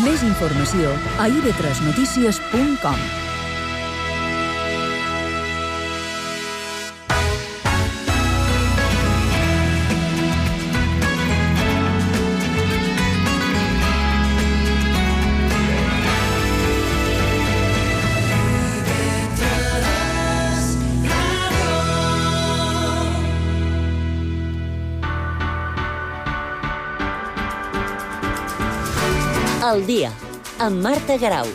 Més informació a ib3notícies.com. Al dia, amb Marta Garau.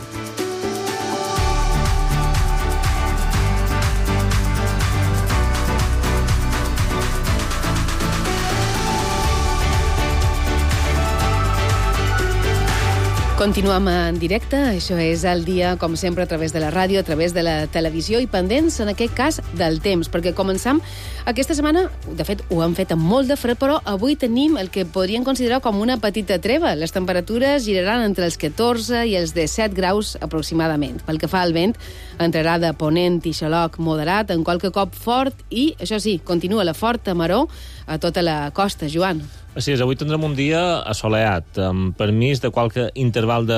Continuem en directe, això és El dia, com sempre, a través de la ràdio, a través de la televisió i pendents, en aquest cas, del temps, perquè començam aquesta setmana, de fet, ho hem fet amb molt de fred, però avui tenim el que podríem considerar com una petita treva. Les temperatures giraran entre els 14 i els 17 graus aproximadament. Pel que fa al vent, entrarà de ponent i xaloc moderat, en qualque cop fort, i, això sí, continua la forta maror a tota la costa. Joan. Així és, avui tindrem un dia assolellat, amb permís de qualque interval de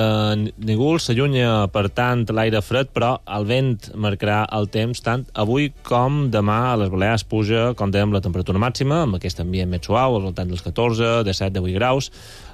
núvols. S'allunya, per tant, l'aire fred, però el vent marcarà el temps tant avui com demà. A les Balears puja, com dèiem, la temperatura màxima, amb aquest ambient més suau, al voltant dels 14, 17, 18 graus,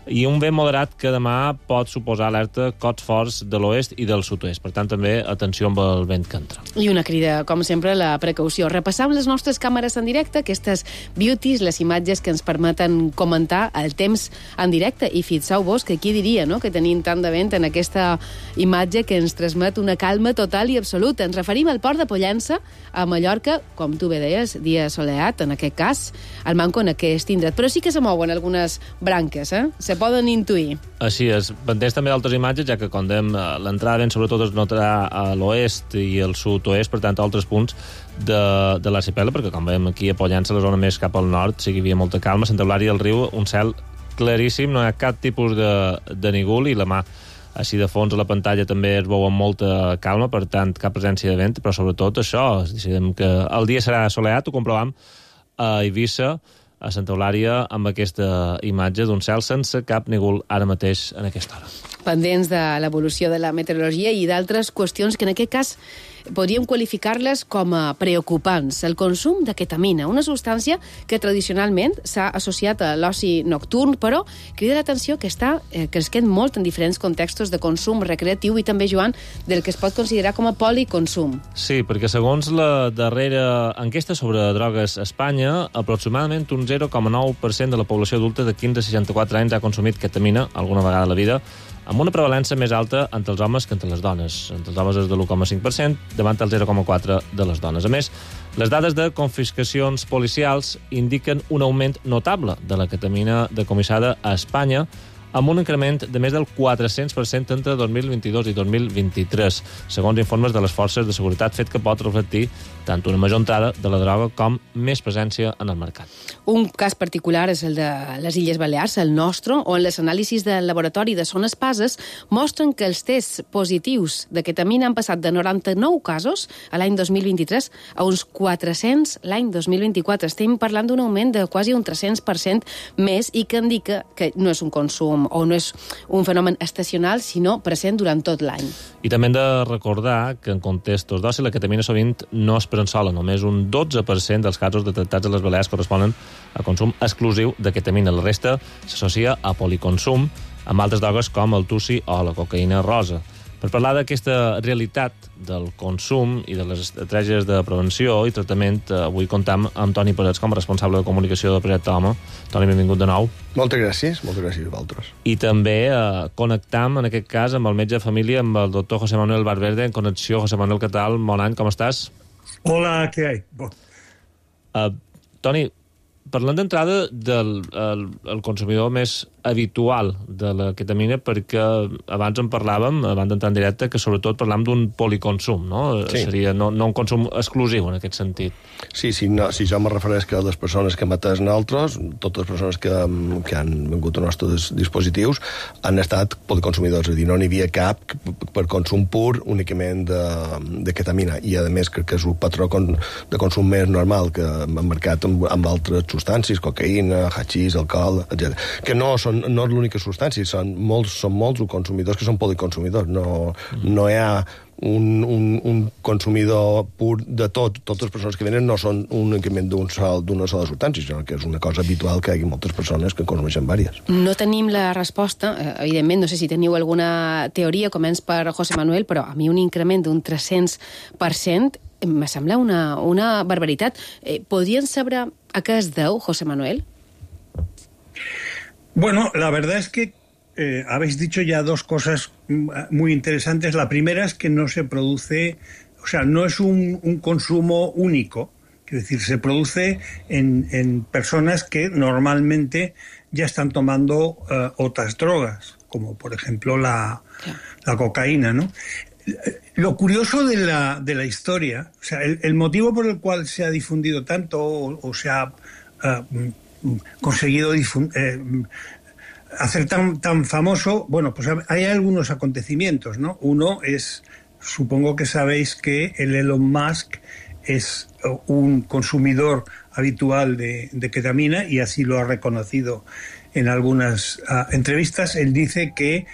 i un vent moderat que demà pot suposar alerta cots forts de l'oest i del sud-oest. Per tant, també atenció amb el vent que entra. I una crida, com sempre, a la precaució. Repassam les nostres càmeres en directe, aquestes beauties, les imatges que ens permeten comentar el temps en directe. I fixeu-vos que qui diria, no?, que tenim tant de vent en aquesta imatge que ens transmet una calma total i absoluta. Ens referim al port de Pollença, a Mallorca, com tu bé deies, dia assolellat, en aquest cas, al manco en aquest indret. Però sí que se mouen algunes branques, se poden intuir. Així és. Pendents també d'altres imatges, ja que quan dèiem l'entrada vent sobretot es notarà a l'oest i al sud-oest, per tant, a altres punts de l'arxipèlag, perquè com veiem aquí a Pollença, la zona més cap al nord, sí que hi havia molta calma. A Santa Eulària del Riu, un cel claríssim, no hi ha cap tipus de núvol, i la mà així de fons a la pantalla també es veu amb molta calma, per tant, cap presència de vent, però sobretot això, decidem que el dia serà assolellat, ho comprovam a Eivissa, a Santa Eulària, amb aquesta imatge d'un cel sense cap núvol ara mateix en aquesta hora. Pendents de l'evolució de la meteorologia i d'altres qüestions que en aquest cas podríem qualificar-les com a preocupants. El consum de ketamina, una substància que tradicionalment s'ha associat a l'oci nocturn, però crida l'atenció que està cresquent molt en diferents contextos de consum recreatiu i també, Joan, del que es pot considerar com a policonsum. Sí, perquè segons la darrera enquesta sobre drogues a Espanya, aproximadament un 0,9% de la població adulta de 15 a 64 anys ha consumit ketamina alguna vegada a la vida, amb una prevalença més alta entre els homes que entre les dones. Entre els homes és de l'1,5%, davant el 0,4% de les dones. A més, les dades de confiscacions policials indiquen un augment notable de la ketamina decomissada a Espanya, amb un increment de més del 400% entre 2022 i 2023, segons informes de les forces de seguretat, fet que pot reflectir tant una major entrada de la droga com més presència en el mercat. Un cas particular és el de les Illes Balears, el nostre, on les anàlisis del laboratori de Son Espases mostren que els tests positius de ketamina han passat de 99 casos a l'any 2023 a uns 400 l'any 2024. Estem parlant d'un augment de quasi un 300% més i que indica que no és un consum o no és un fenomen estacional, sinó present durant tot l'any. I també hem de recordar que en contextos d'oci la ketamina sovint no es pren sola. Només un 12% dels casos detectats a les Balears corresponen a consum exclusiu de ketamina. La resta s'associa a policonsum amb altres drogues com el tussi o la cocaïna rosa. Per parlar d'aquesta realitat del consum i de les estratègies de prevenció i tractament, avui comptam amb Toni Parets com a responsable de comunicació del projecte Home. Toni, benvingut de nou. Moltes gràcies a vosaltres. I també connectam, en aquest cas, amb el metge de família, amb el doctor José Manuel Valverde, en connexió. José Manuel, què tal? Bon any, com estàs? Hola, què hay? Toni, parlant d'entrada del el consumidor més habitual de la ketamina, perquè abans en parlàvem, abans d'entrar en directe, que sobretot parlàvem d'un policonsum, no? Sí. Seria no un consum exclusiu en aquest sentit. Sí, si jo me refereix que les persones que hem atès nosaltres, totes les persones que han vingut als nostres dispositius, han estat policonsumidors, és a dir, no n'hi havia cap per consum pur únicament de ketamina, i a més crec que és un patró de consum més normal que hem marcat amb altres substàncies, cocaïna, hachís, alcohol, etc. Que no són és l'única substància, són molts els consumidors que són policonsumidors. No hi ha un consumidor pur de tot. Totes les persones que venen no són únicament d'una sola substància, sinó que és una cosa habitual que hi hagi moltes persones que consumeixen diverses. No tenim la resposta, evidentment, no sé si teniu alguna teoria, començ per José Manuel, però a mi un increment d'un 300% me sembla una barbaritat. ¿Podrían saber a qué es deu, José Manuel? Bueno, la verdad es que habéis dicho ya dos cosas muy interesantes. La primera es que no se produce, o sea, no es un consumo único. Quiero decir, se produce en personas que normalmente ya están tomando otras drogas, como por ejemplo la cocaína, ¿no? Lo curioso de la historia, o sea, el motivo por el cual se ha difundido tanto o se ha conseguido hacer tan famoso, bueno, pues hay algunos acontecimientos, ¿no? Uno es, supongo que sabéis que el Elon Musk es un consumidor habitual de ketamina y así lo ha reconocido en algunas entrevistas. Él dice que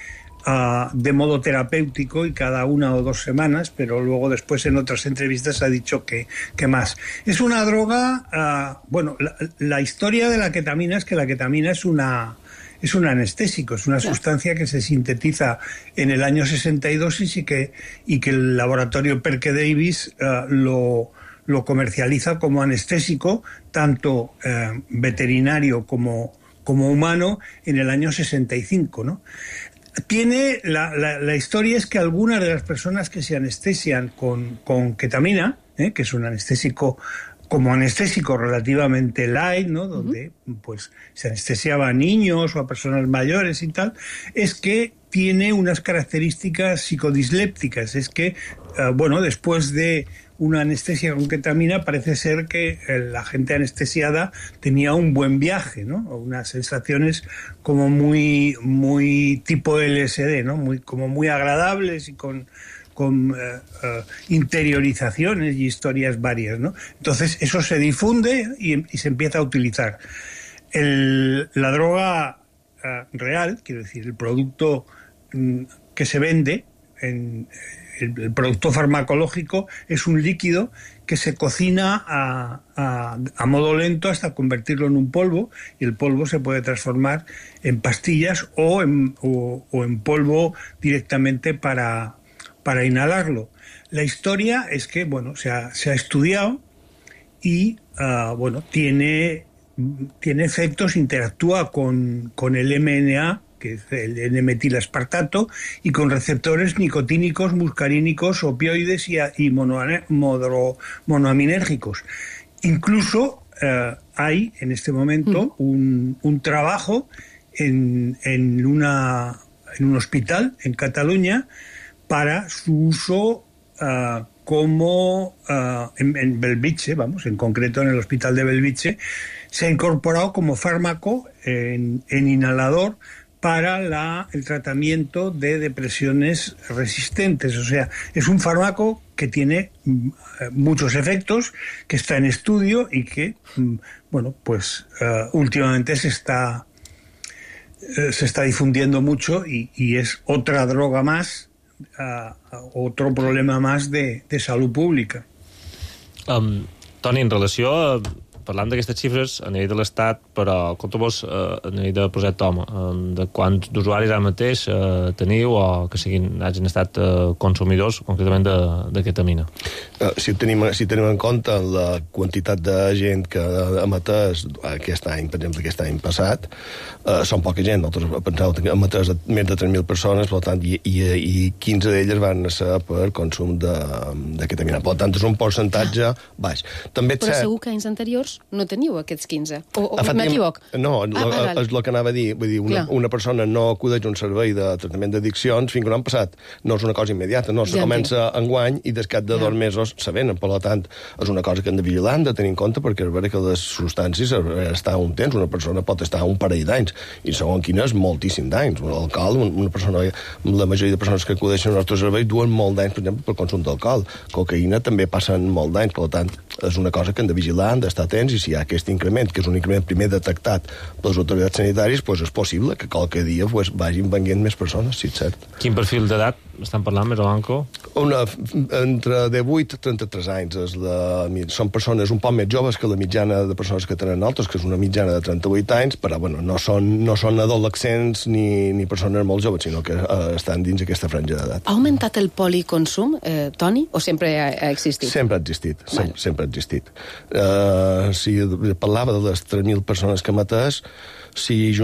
de modo terapéutico y cada 1 o 2 semanas, pero luego después en otras entrevistas ha dicho que más. Es una droga, bueno, la historia de la ketamina es que la ketamina es un anestésico, es una sustancia que se sintetiza en el año 62 y que el laboratorio Perke Davis lo comercializa como anestésico, tanto veterinario como humano, en el año 65, ¿no? La historia es que algunas de las personas que se anestesian con ketamina, que es un anestésico como anestésico relativamente light, ¿no? Donde pues se anestesiaba a niños o a personas mayores y tal, es que tiene unas características psicodislépticas. Es que, bueno, después de una anestesia con ketamina parece ser que la gente anestesiada tenía un buen viaje, ¿no? Unas sensaciones como muy tipo LSD, ¿no? Como muy agradables y con interiorizaciones y historias varias, ¿no? Entonces eso se difunde y se empieza a utilizar. La droga real, quiero decir, el producto que se vende, el producto farmacológico, es un líquido que se cocina a modo lento hasta convertirlo en un polvo, y el polvo se puede transformar en pastillas o en polvo directamente para inhalarlo. La historia es que, bueno, se ha estudiado y, bueno, tiene efectos, interactúa con el MNA, que es el N-metilaspartato, y con receptores nicotínicos, muscarínicos, opioides y monoaminérgicos. Incluso hay en este momento un trabajo en un hospital en Cataluña para su uso como en Belvitge, vamos, en concreto en el hospital de Belvitge, se ha incorporado como fármaco en inhalador para el tratamiento de depresiones resistentes. O sea, es un fármaco que tiene muchos efectos, que está en estudio y que, bueno, pues últimamente se está difundiendo mucho y es otra droga más, otro problema más de salud pública. Toni, en relació parlant d'aquestes xifres a nivell de l'Estat, però compta-vos a nivell de Projecte Home, de quants d'usuaris ara mateix teniu o que hagin estat consumidors concretament de ketamina? Si tenim en compte la quantitat de gent que ha emetès aquest any, per exemple, aquest any passat, són poca gent. Nosaltres pensàvem que emetès més de 3.000 persones, per tant, i 15 d'elles van ser per consum de ketamina. Per tant, és un percentatge baix. També però segur que anys anteriors no teniu aquests 15, o m'equivoc? No, és el que anava a dir. Vull dir, una persona no acudeix a un servei de tractament d'addiccions fins que no han passat. No és una cosa immediata, no, se comença enguany i des cap de 2 mesos se venen. Per tant, és una cosa que hem de vigilar, hem de tenir en compte, perquè és veritat que les substàncies estan un temps, una persona pot estar un parell d'anys, i segons quina és moltíssim d'anys. L'alcohol, una persona, la majoria de persones que acudeixen als nostres serveis duen molt d'anys, per exemple, per consum d'alcohol. Cocaïna també passen molt d'anys, per tant, és una cosa que hem de vigilar, hem d'estar atents, i si hi ha aquest increment, que és un increment primer detectat per les autoritats sanitàries, doncs és possible que qualque dia vagin venint més persones, sí, és cert. Quin perfil d'edat estan parlant, més Blanco? Entre 18 i 33 anys. Són persones un poc més joves que la mitjana de persones que tenen altres, que és una mitjana de 38 anys, però bueno, no són adolescents ni persones molt joves, sinó que estan dins aquesta franja d'edat. Ha augmentat el policonsum, Toni, o sempre ha existit? Sempre ha existit, sempre ha existit. Si parlava de les 3.000 persones que mateix, si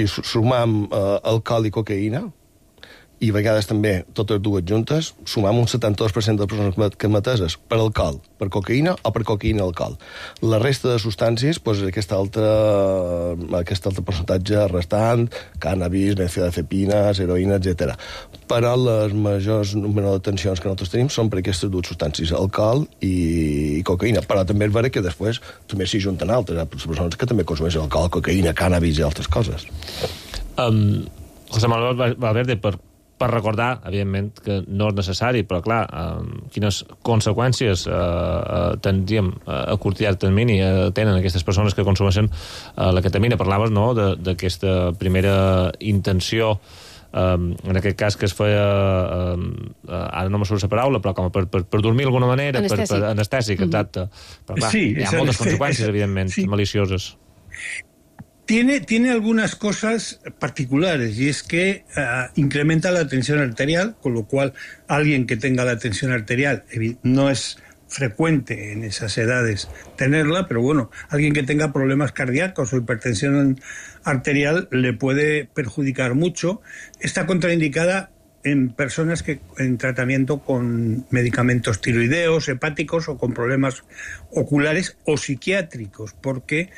sumam alcohol i cocaïna, i a vegades també totes dues juntes, sumam un 72% de persones que mateses per alcohol, per cocaïna o per cocaïna alcohol. La resta de substàncies, doncs aquest altre percentatge restant, cànnabis, benzodiazepines, heroïna, etc. Però les majors número de detencions que nosaltres tenim són per aquestes dues substàncies, alcohol i cocaïna. Però també és vera que després també s'hi junten altres, persones que també consumeixen alcohol, cocaïna, cànnabis i altres coses. José Manuel Valverde, per recordar, evidentment, que no és necessari, però clar, quines conseqüències tindríem a curt i llarg termini tenen aquestes persones que consumeixen la ketamina. Parlaves, no?, d'aquesta primera intenció, en aquest cas que es feia, ara no me surt la paraula, però com per dormir d'alguna manera, anestèsic, exacte. Però clar, hi ha moltes conseqüències, evidentment, malicioses. Tiene algunas cosas particulares, y es que incrementa la tensión arterial, con lo cual alguien que tenga la tensión arterial no es frecuente en esas edades tenerla, pero bueno, alguien que tenga problemas cardíacos o hipertensión arterial le puede perjudicar mucho. Está contraindicada en personas que en tratamiento con medicamentos tiroideos, hepáticos o con problemas oculares o psiquiátricos, porque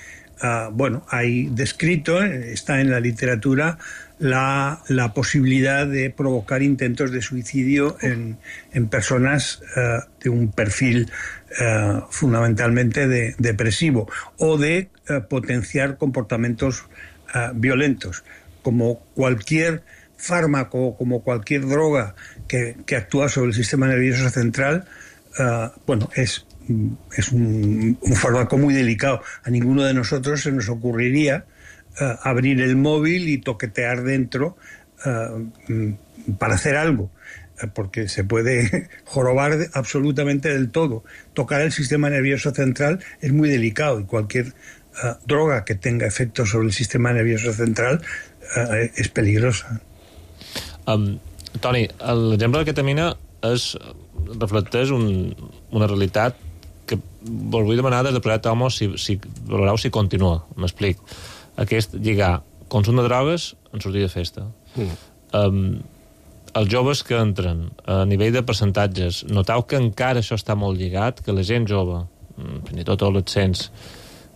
hay descrito, está en la literatura, la posibilidad de provocar intentos de suicidio en personas de un perfil fundamentalmente depresivo, o de potenciar comportamientos violentos. Como cualquier fármaco, como cualquier droga que actúa sobre el sistema nervioso central, es un fármaco muy delicado. A ninguno de nosotros se nos ocurriría abrir el móvil y toquetear dentro para hacer algo, porque se puede jorobar absolutamente del todo. Tocar el sistema nervioso central es muy delicado, y cualquier droga que tenga efectos sobre el sistema nervioso central és peligrosa. Toni, l'exemple de ketamina reflecteix una realitat que vos vull demanar des de Proyecto Homo si valoreu si continua. M'explic. Aquest lligar consum de drogues en sortir de festa. Els joves que entren a nivell de percentatges, noteu que encara això està molt lligat, que la gent jove, fins i tot adolescents,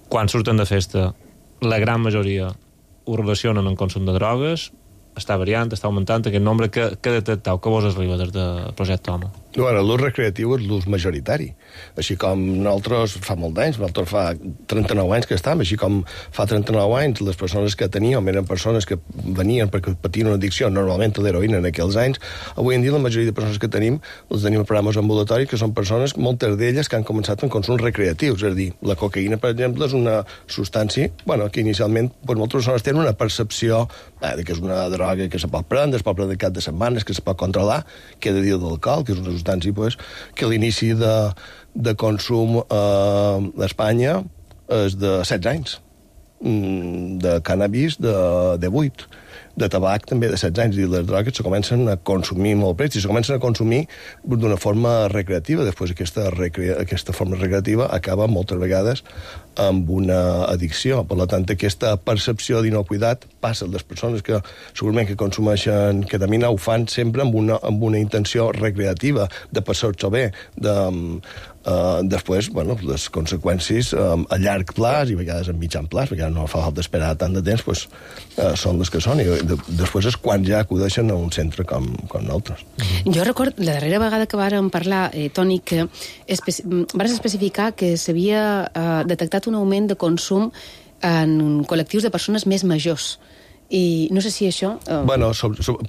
quan surten de festa, la gran majoria ho relacionen amb consum de drogues? Està variant, està augmentant aquest nombre? Que detecteu? Que vos arriba des del Projecte Homo? Bueno, l'ús recreatiu és l'ús majoritari. Així com nosaltres fa molt d'anys, nosaltres fa 39 anys que estem, així com fa 39 anys les persones que teníem eren persones que venien perquè patien una addicció, normalment a l'heroïna en aquells anys. Avui en dia la majoria de persones que tenim les tenim a programes ambulatoris, que són persones, moltes d'elles, que han començat amb consums recreatius. És a dir, la cocaïna, per exemple, és una substància que inicialment moltes persones tenen una percepció de que és una droga que se pot prendre, es pot prendre cap de setmanes, que se pot controlar, que he de dir d'alcohol, que és una substància que l'inici de consum a Espanya és de 16 anys, de cànnabis de 8, de tabac també de 16 anys, i les drogues se comencen a consumir molt prest, i se comencen a consumir d'una forma recreativa. Després aquesta forma recreativa acaba moltes vegades amb una addicció. Per tant, aquesta percepció d'inocuïtat passa a les persones que segurament que consumeixen ketamina, ho fan sempre amb una intenció recreativa, de passar-s'ho bé, després, les conseqüències a llarg plaç i a vegades a mitjan plaç, perquè no fa falta esperar tant de temps, són les que són, i després és quan ja acudeixen a un centre com nosaltres. Jo recordo, la darrera vegada que vàrem parlar, Toni, que vas especificar que s'havia detectat un augment de consum en col·lectius de persones més majors. I no sé si això... Bueno,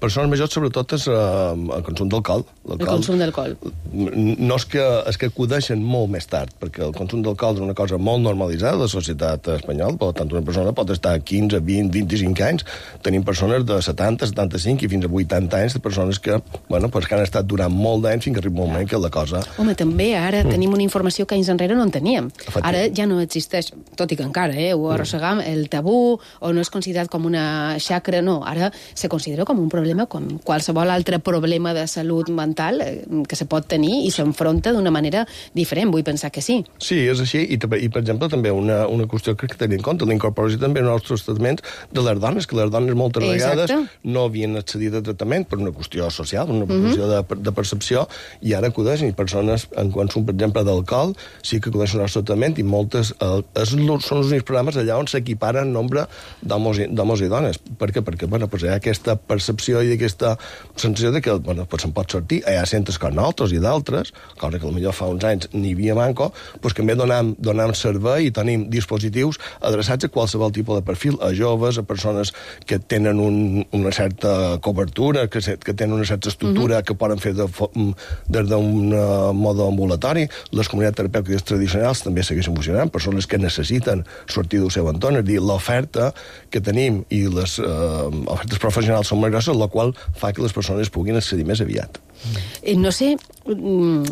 persones majors, sobretot, és el consum d'alcohol. El consum d'alcohol. No és que acudeixen molt més tard, perquè el consum d'alcohol és una cosa molt normalitzada de la societat espanyola, per tant, una persona pot estar 15, 20, 25 anys. Tenim persones de 70, 75 i fins a 80 anys de persones que, bueno, pues, que han estat durant molt d'anys fins que arriba un moment que la cosa... Home, també ara tenim una informació que anys enrere no en teníem. Ara ja no existeix, tot i que encara ho arrossegam, el tabú, o no és considerat com una xacra, no. Ara se considera com un problema, com qualsevol altre problema de salut mental que se pot tenir i s'enfronta d'una manera diferent. Vull pensar que sí. Sí, és així. I per exemple, també una qüestió que tenir en compte, la incorporació també en els tractaments de les dones, que les dones moltes vegades no havien accedit a tractament per una qüestió social, una qüestió de percepció, i ara acudeixen, i persones en consum, per exemple, d'alcohol, sí que acudeixen al tractament, i moltes són els únics programes allà on s'equiparen nombre d'homes i dones. Per què? Perquè bueno, pues hi ha aquesta percepció i aquesta sensació de que bueno, pues se'n pot sortir. Hi ha centres com nosaltres i d'altres, cosa que potser fa uns anys n'hi havia manco, pues que també donem servei i tenim dispositius adreçats a qualsevol tipus de perfil, a joves, a persones que tenen una certa cobertura, que tenen una certa estructura que poden fer des d'un mode ambulatori. Les comunitats terapèutiques tradicionals també segueixen funcionant, persones que necessiten sortir del seu entorn, és a dir, l'oferta que tenim i les ofertes professionals són molt grosses, la qual fa que les persones puguin accedir més aviat. No sé,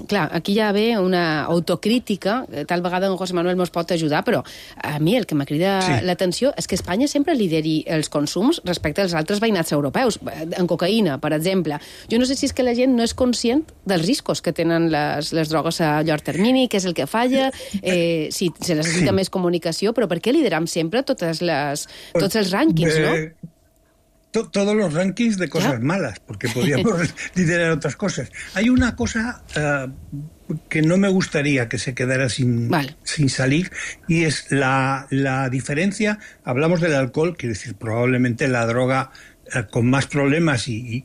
clar, aquí ja ve una autocrítica, tal vegada en José Manuel mos pot ajudar, però a mi el que m'ha cridat l'atenció és que Espanya sempre lideri els consums respecte als altres veïnats europeus. En cocaïna, per exemple. Jo no sé si és que la gent no és conscient dels riscos que tenen les drogues a llarg termini, què és el que falla, si se necessita més comunicació, però per què lideram sempre tots els rànquings, no? Todos los rankings de cosas malas, porque podríamos liderar otras cosas. Hay una cosa que no me gustaría que se quedara sin salir, y es la diferencia. Hablamos del alcohol, quiero decir, probablemente la droga con más problemas y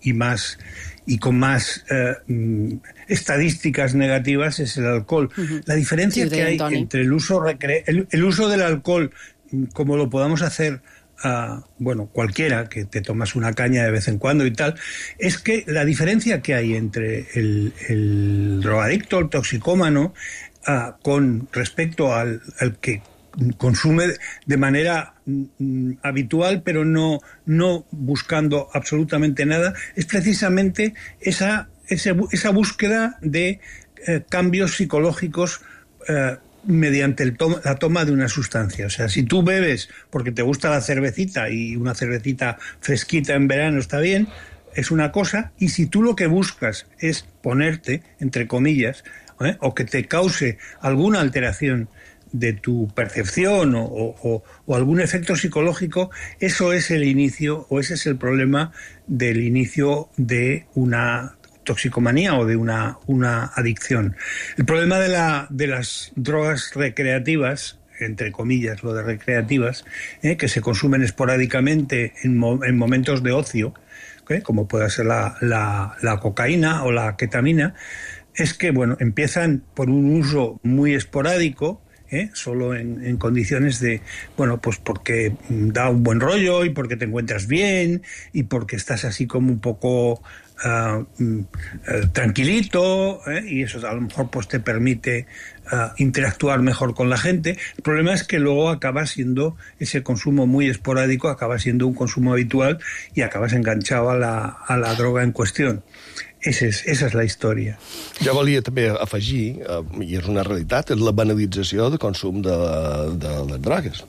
con más estadísticas negativas es el alcohol. La diferencia que hay entre el uso del alcohol, como lo podamos hacer bueno, cualquiera, que te tomas una caña de vez en cuando y tal, es que la diferencia que hay entre el drogadicto, el toxicómano, con respecto al que consume de manera habitual, pero no buscando absolutamente nada, es precisamente esa búsqueda de cambios psicológicos mediante la toma de una sustancia. O sea, si tú bebes porque te gusta la cervecita, y una cervecita fresquita en verano está bien, es una cosa, y si tú lo que buscas es ponerte, entre comillas, o que te cause alguna alteración de tu percepción o algún efecto psicológico, eso es el inicio, o ese es el problema del inicio de una toxicomanía o de una adicción. El problema de las drogas recreativas, entre comillas, lo de recreativas, que se consumen esporádicamente en momentos de ocio, como puede ser la cocaína o la ketamina, es que, bueno, empiezan por un uso muy esporádico, solo en condiciones de, bueno, pues porque da un buen rollo y porque te encuentras bien y porque estás así como un poco tranquilito, y eso a lo mejor pues te permite interactuar mejor con la gente. El problema es que luego acaba siendo ese consumo muy esporádico, acaba siendo un consumo habitual y acabas enganchado a la droga en cuestión. Esa és la història. Jo volia també afegir, i és una realitat, és la banalització de consum de les drogues.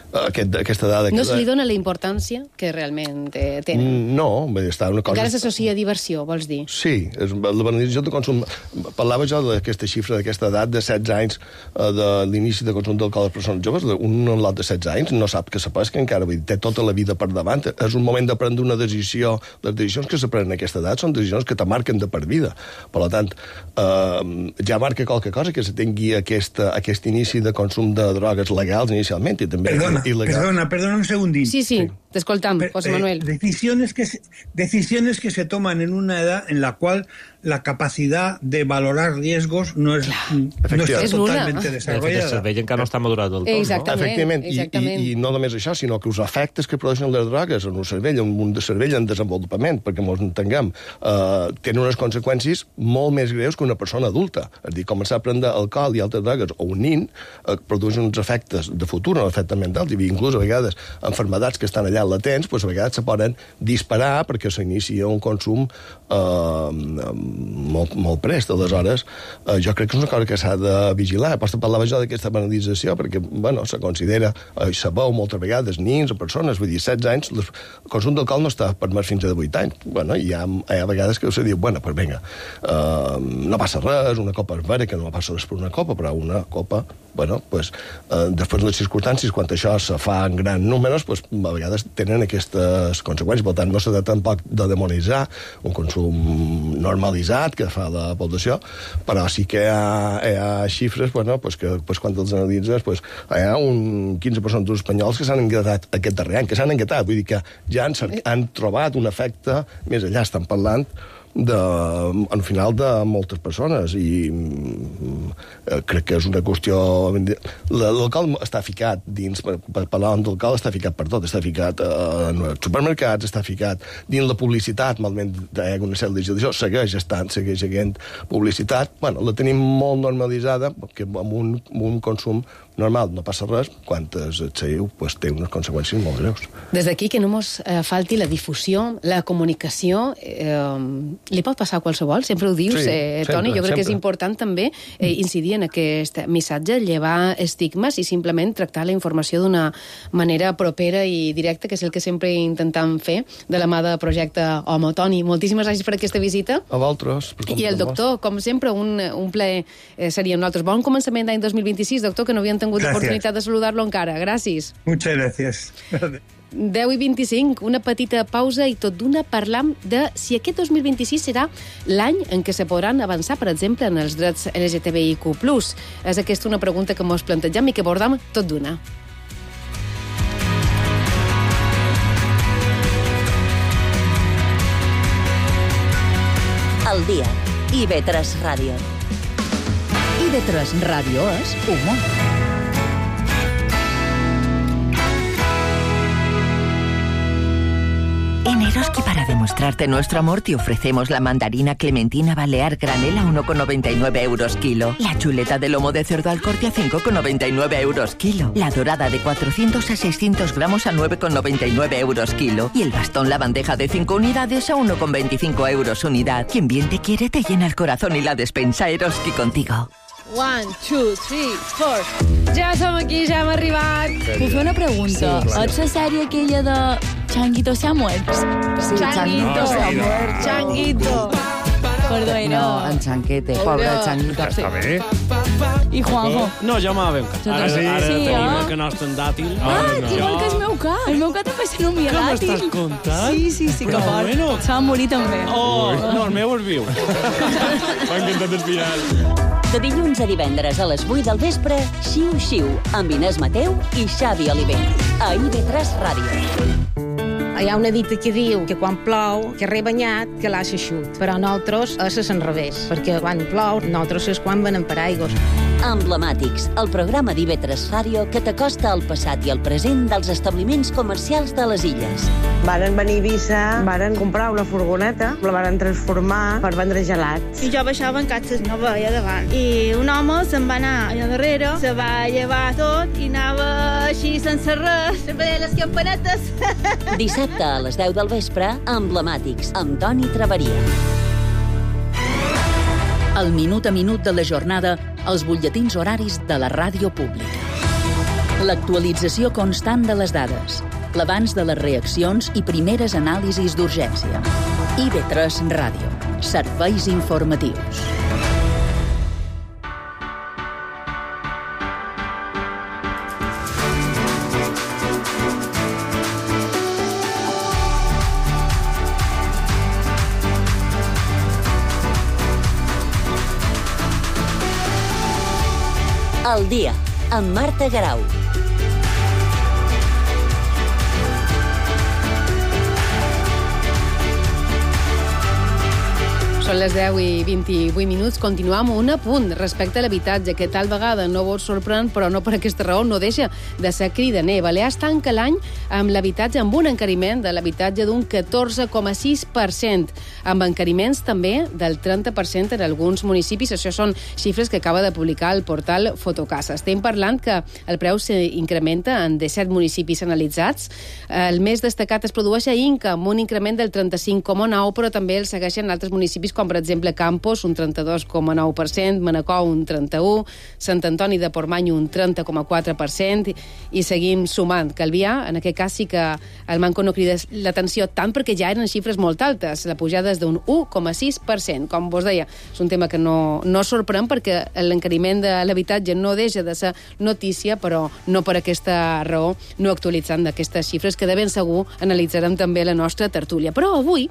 Aquesta dada... No se li dona la importància que realment tenen. No, està una cosa... Encara s'associa a diversió, vols dir? Sí, la banalització de consum... Parlava jo d'aquesta xifra, d'aquesta edat de 16 anys, de l'inici de consum d'alcohol de les persones joves. Un lot de 16 anys no sap que s'apesca encara, té tota la vida per davant. És un moment de prendre una decisió. Les decisions que se prenen a aquesta edat són decisions que te marquen de per vida. Per tant, ja marca qualque cosa que se tingui aquest inici de consum de drogues legals inicialment i també... Perdona un segundín. Sí. T'escoltam, José Manuel. Decisiones que se toman en una edad en la cual la capacidad de valorar riesgos no està totalment desarrollada. El cervell encara no està madurat del tot, Exactament, no? Efectivament. I no només això, sinó que els efectes que produeixen les drogues en un cervell en desenvolupament, perquè ens entenguem, tenen unes conseqüències molt més greus que una persona adulta. És a dir, començar a prendre alcohol i altres drogues o un nin produeixen uns efectes de futur, no efectes mentals, i inclús a vegades enfermedats que estan allà latents, doncs a vegades se poden disparar perquè s'inicia un consum molt prest. Aleshores, jo crec que és una cosa que s'ha de vigilar. Pots parlava jo d'aquesta banalització, perquè, bueno, se considera, se veu moltes vegades nins o persones, vull dir, 16 anys, el consum d'alcohol no està permès fins a 18 anys. Bueno, hi ha vegades que se diu, bueno, pues vinga, no passa res, una copa és vera, que no passa res per una copa, però una copa, bueno, pues, després de les circumstàncies, quan això se fa en grans números, pues, a vegades tenen aquestes conseqüències. Per tant, no s'ha de tampoc de demonitzar un consum normalitzat que fa la població, però sí que hi ha xifres, bueno, pues, que pues, quan els analitzes, pues, hi ha un 15% dels espanyols que s'han engatat aquest darrer any, que s'han engatat, vull dir que ja han trobat un efecte, més allà estan parlant al final de moltes persones, i crec que és una qüestió... L'alcohol està ficat dins, per parlar d'alcohol, està ficat per tot, està ficat en els supermercats, està ficat dins la publicitat, malament hi ha una sèrie d'això, segueix havent publicitat, bueno, la tenim molt normalitzada, perquè amb un consum normal no passa res, quan es seguiu, pues, té unes conseqüències molt greus. Des d'aquí que no mos falti la difusió, la comunicació, li pot passar a qualsevol, sempre ho dius, Toni, jo crec que és important també incidir en aquest missatge, llevar estigmes i simplement tractar la informació d'una manera propera i directa, que és el que sempre intentem fer de la mà de Projecte Homo. Toni, moltíssimes gràcies per aquesta visita. A vosaltres. I el doctor, com sempre, un plaer seria nosaltres. Bon començament d'any 2026, doctor, que no havíem tingut l'oportunitat de saludar-lo encara. Gràcies. Muchas gracias. 10:25, una petita pausa i tot d'una parlam de si aquest 2026 serà l'any en què se podran avançar, per exemple, en els drets LGTBIQ+. És aquesta una pregunta que mos plantegem i que abordam tot d'una. El dia. IB3 Ràdio. IB3 Ràdio és humor. En Eroski, para demostrarte nuestro amor, te ofrecemos la mandarina clementina balear granel a 1,99 euros kilo, la chuleta de lomo de cerdo al corte a 5,99 euros kilo, la dorada de 400 a 600 gramos a 9,99 euros kilo y el bastón la bandeja de 5 unidades a 1,25 euros unidad. Quien bien te quiere te llena el corazón y la despensa Eroski contigo. 1, 2, 3, 4. Ja som aquí, ja hem arribat. Puc fer una pregunta? Sí, és la sèrie aquella de Changuito se ha muerto? Sí, Changuito se ha muerto. Changuito. Perdó, no, en Chanquete, pobre Changuito. Està bé. I Juanjo? No, ja m'ha ben cas. Ara tenim el que no està en dàtil. Igual que el meu cas. El meu cas també se nomia dàtil. Què m'estàs contant? Sí, que fort. Se va morir també. No, el meu és viu. M'ha encantat el final. De dilluns a divendres a les 8 del vespre, Xiu Xiu, amb Inés Mateu i Xavi Oliver. A IB3 Ràdio. Hi ha una dita que diu que quan plou, que rebanyat, que l'ha xeixut. Però nosaltres és al revés, perquè quan plou, nosaltres és quan venen paraigües. Emblemàtics, el programa d'IB3 Ràdio que t'acosta al passat i al present dels establiments comercials de les illes. Varen venir a Eivissa, varen comprar una furgoneta, la varen transformar per vendre gelats. I jo baixava en catxes, no veia davant. I un home se'n va anar allà darrere, se va llevar tot i anava així sense res, sempre les campanetes. Dissabte a les 10 del vespre, Emblemàtics, amb Toni Traveria. El minut a minut de la jornada, els butlletins horaris de la ràdio pública. L'actualització constant de les dades, l'abans de les reaccions i primeres anàlisis d'urgència. IB3 Ràdio. Serveis informatius. El dia, amb Marta Garau. Són les 10 i 28 minuts. Continuam un apunt respecte a l'habitatge, que tal vegada no vos sorprèn, però no per aquesta raó no deixa de ser cridaner. Balears tanca l'any amb l'habitatge amb un encariment de l'habitatge d'un 14,6%, amb encariments també del 30% en alguns municipis. Això són xifres que acaba de publicar el portal Fotocasa. Estem parlant que el preu s'incrementa en 17 municipis analitzats. El més destacat es produeix a Inca, amb un increment del 35,9%, però també el segueixen altres municipis com, per exemple, Campos, un 32,9%, Manacor, un 31%, Sant Antoni de Portmany, un 30,4%, i seguim sumant. Calvià, en aquest cas sí que el Manco no crida l'atenció tant perquè ja eren xifres molt altes. La pujada és d'un 1,6%. Com vos deia, és un tema que no sorprèn perquè l'encariment de l'habitatge no deixa de ser notícia, però no per aquesta raó no actualitzant d'aquestes xifres que de ben segur analitzarem també la nostra tertúlia. Però avui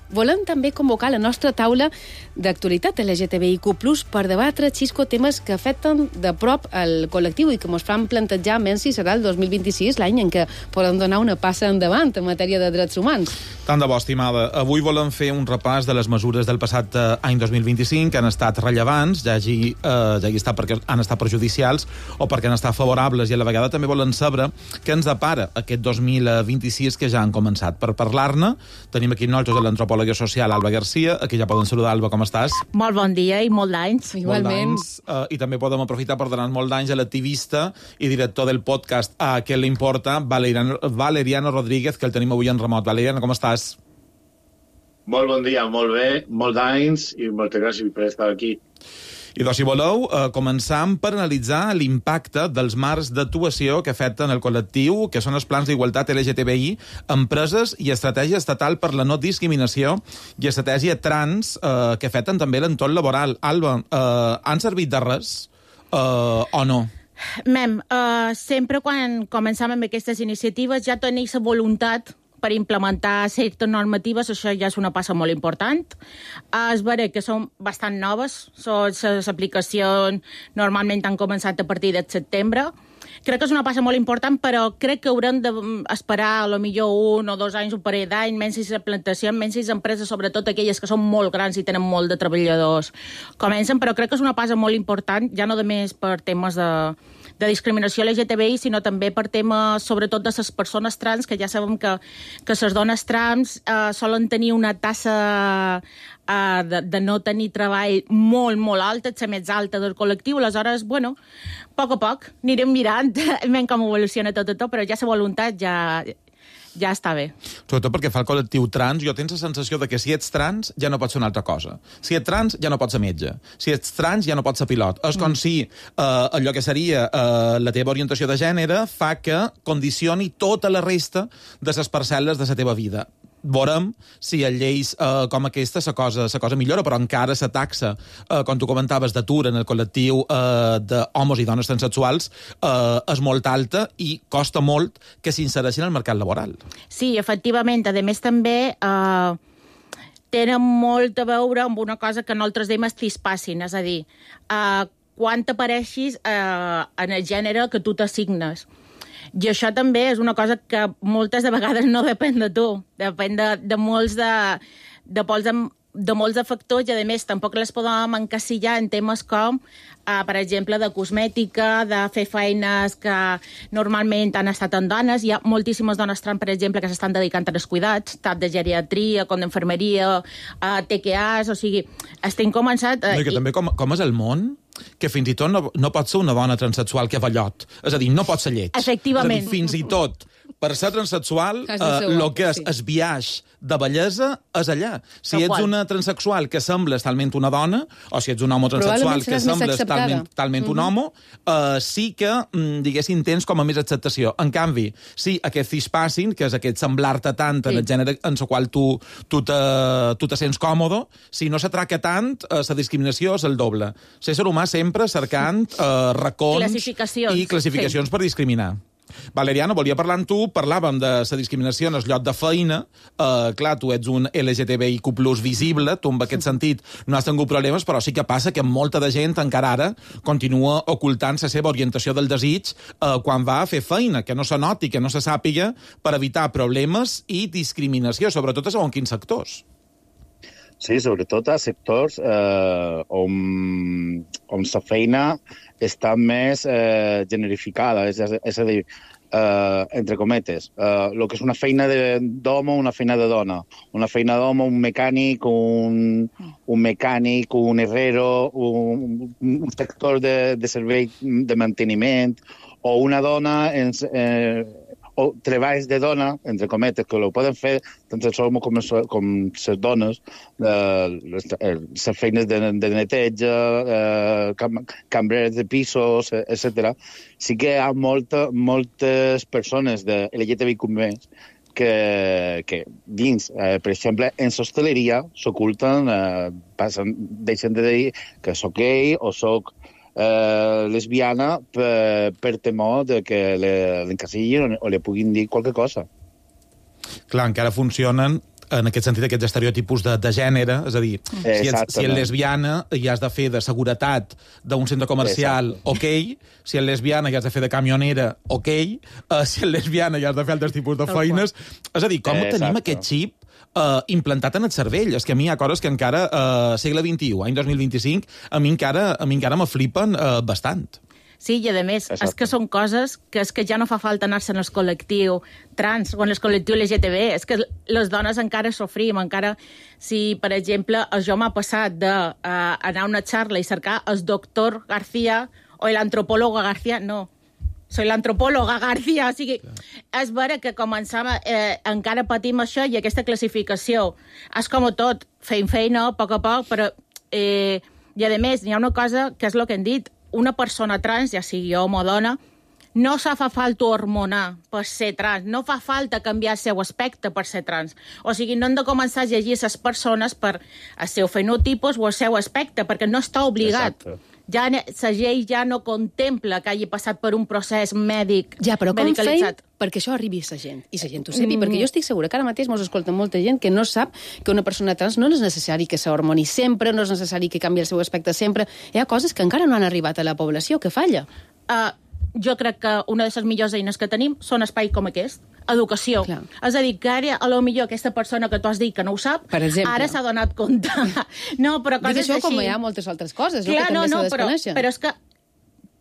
volem també convocar la nostra taula d'actualitat LGTBIQ+, per debatre, Xisco, temes que afecten de prop el col·lectiu i que ens fan plantejar menys si serà el 2026 l'any en què podem donar una passa endavant en matèria de drets humans. Tant de bo, estimada. Avui volem fer un repàs de les mesures del passat any 2025 que han estat rellevants, ja hagi estat perquè han estat perjudicials o perquè han estat favorables, i a la vegada també volem saber què ens depara aquest 2026 que ja han començat. Per parlar-ne, tenim aquí nosaltres l'antropòleg social Alba Garcia. Aquí ja poden saludar. Alba, com estàs? Molt bon dia i molt d'anys. Igualment. I també podem aprofitar per donar molt d'anys a l'activista i director del podcast A Què l'importa, Valeriano Rodríguez, que el tenim avui en remot. Valeriano, com estàs? Molt bon dia, molt bé, molt d'anys i moltes gràcies per estar aquí. I doncs, si voleu, començam per analitzar l'impacte dels marcs d'actuació que afecten el col·lectiu, que són els plans d'igualtat LGTBI, empreses i estratègia estatal per la no discriminació i estratègia trans que afecten també l'entorn laboral. Alba, han servit de res o no? Sempre quan començam amb aquestes iniciatives ja tenim la voluntat per implementar certes normatives. Això ja és una passa molt important. És vera que són bastant noves. Les aplicacions normalment han començat a partir de setembre. Crec que és una passa molt important, però crec que haurem d'esperar potser 1 o 2 anys, un parell d'anys, menys si la plantació, menys si les empreses, sobretot aquelles que són molt grans i tenen molt de treballadors, comencen, però crec que és una passa molt important, ja no només per temes de discriminació LGTBI, sinó també per temes, sobretot, de les persones trans, que ja sabem que les dones trans solen tenir una tassa de no tenir treball molt, molt alta, la més alta del col·lectiu. Aleshores, a poc anirem mirant com evoluciona tot, però ja la voluntat ja està bé. Sobretot perquè fa el col·lectiu trans, jo tens la sensació de que si ets trans ja no pots ser una altra cosa. Si ets trans ja no pots ser metge. Si ets trans ja no pots ser pilot. És com si allò que seria la teva orientació de gènere fa que condicioni tota la resta de les parcel·les de la teva vida. Veurem si a lleis com aquesta la cosa millora, però encara la taxa, com tu comentaves, d'atur en el col·lectiu d'homes i dones transsexuals és molt alta i costa molt que s'insereixin al mercat laboral. Sí, efectivament. A més, també tenen molt a veure amb una cosa que nosaltres diem cispassing, és a dir, quan t'apareixis en el gènere que tu t'assignes. I això també és una cosa que moltes de vegades no depèn de tu, depèn de molts de factors, i a més tampoc les podem encasillar en temes com, per exemple, de cosmètica, de fer feines que normalment han estat en dones. Hi ha moltíssimes dones trans, per exemple, que s'estan dedicant als cuidats, tant de geriatria com d'infermeria, TQAs, o sigui, estem començant... I que també com és el món, que fins i tot no pot ser una dona transsexual que va llot. És a dir, no pot ser lleig. Efectivament. És a dir, fins i tot, per ser transsexual, el que és el biaix de bellesa és allà. Si ets una transsexual que sembles talment una dona, o si ets un home transsexual que sembles talment un home, sí que, diguéssim, tens com a més acceptació. En canvi, sí, aquest cispassing, que és aquest semblar-te tant en el gènere en el qual tu te sents còmode, si no s'atraca tant, la discriminació és el doble. L'ésser humà sempre cercant racons i classificacions per discriminar. Valeriano, volia parlar amb tu, parlàvem de la discriminació en el lloc de feina. Clar, tu ets un LGTBIQ+ visible, tu en aquest sentit no has tingut problemes, però sí que passa que molta de gent encara ara continua ocultant la seva orientació del desig quan va a fer feina, que no se noti, que no se sàpiga, per evitar problemes i discriminació, sobretot a segons quins sectors. Sí, sobretot a sectors on la feina està més generificada, és a dir, entre cometes, el que és una feina d'home, una feina de dona. Una feina d'home, un mecànic, un herrero, un sector de servei de manteniment, o una dona o treballs de dona, entre cometes, que ho poden fer tant els homes com les dones, les feines de neteja, cambreres de pisos, etc. Sí que hi ha moltes persones de LGTBIQ+, que dins, per exemple, en l'hostaleria s'oculten, deixen de dir que soc gay o soc lesbiana per temor de que l'encasillin o li puguin dir qualque cosa. Clar, encara funcionen en aquest sentit aquests estereotipus de gènere, és a dir, si ets lesbiana i has de fer de seguretat d'un centre comercial, ok, si ets lesbiana i has de fer de camionera, ok, si ets lesbiana i has de fer altres tipus de feines... És a dir, com tenim aquest xip implantat en el cervell? És que a mi hi ha coses que encara, segle XXI, any 2025, a mi encara me flipen bastant. Sí, i a més, és que són coses que ja no fa falta anar-se en el col·lectiu trans o en el col·lectiu LGTB, és que les dones encara sofrim, encara si, per exemple, jo m'ha passat d'anar a una xarra i cercar el doctor García o l'antropòloga García, no. Soy l'antropòloga García, o sigui, és vera que començava, encara patim això i aquesta classificació. És com tot, fent feina, a poc, però... I a més, hi ha una cosa que és el que hem dit, una persona trans, ja sigui home o dona, no fa falta hormonar per ser trans, no fa falta canviar el seu aspecte per ser trans. O sigui, no hem de començar a llegir les persones per el seu fenotipus o el seu aspecte, perquè no està obligat. Exacte. Ja la llei ja no contempla que hagi passat per un procés mèdic medicalitzat. Ja, però com feim perquè això arribi a la gent, i la gent ho sepi? Perquè jo estic segura que ara mateix mos escolta molta gent que no sap que una persona trans no és necessari que s'hormoni sempre, no és necessari que canvi el seu aspecte sempre. Hi ha coses que encara no han arribat a la població, que falla. Jo crec que una de les millors eines que tenim són espais com aquest, educació. Clar. És a dir, que ara, a lo millor, aquesta persona que tu has dit que no ho sap, ara s'ha donat compte. No, però coses així... Dic això com hi ha moltes altres coses, clar, que també s'ha desconeixen. Però és que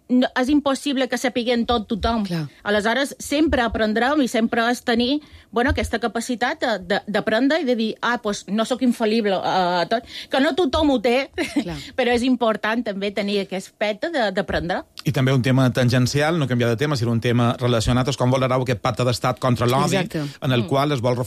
és impossible que sapiguem tot tothom. Clar. Aleshores, sempre aprendrem i sempre és tenir aquesta capacitat d'aprendre i de dir, doncs no sóc infal·lible a tot. Que no tothom ho té, però és important també tenir aquest aspecte d'aprendre. I també un tema tangencial, no canviar de tema, sinó un tema relacionat, és com volerà aquest pacte d'estat contra l'odi, en el qual es volen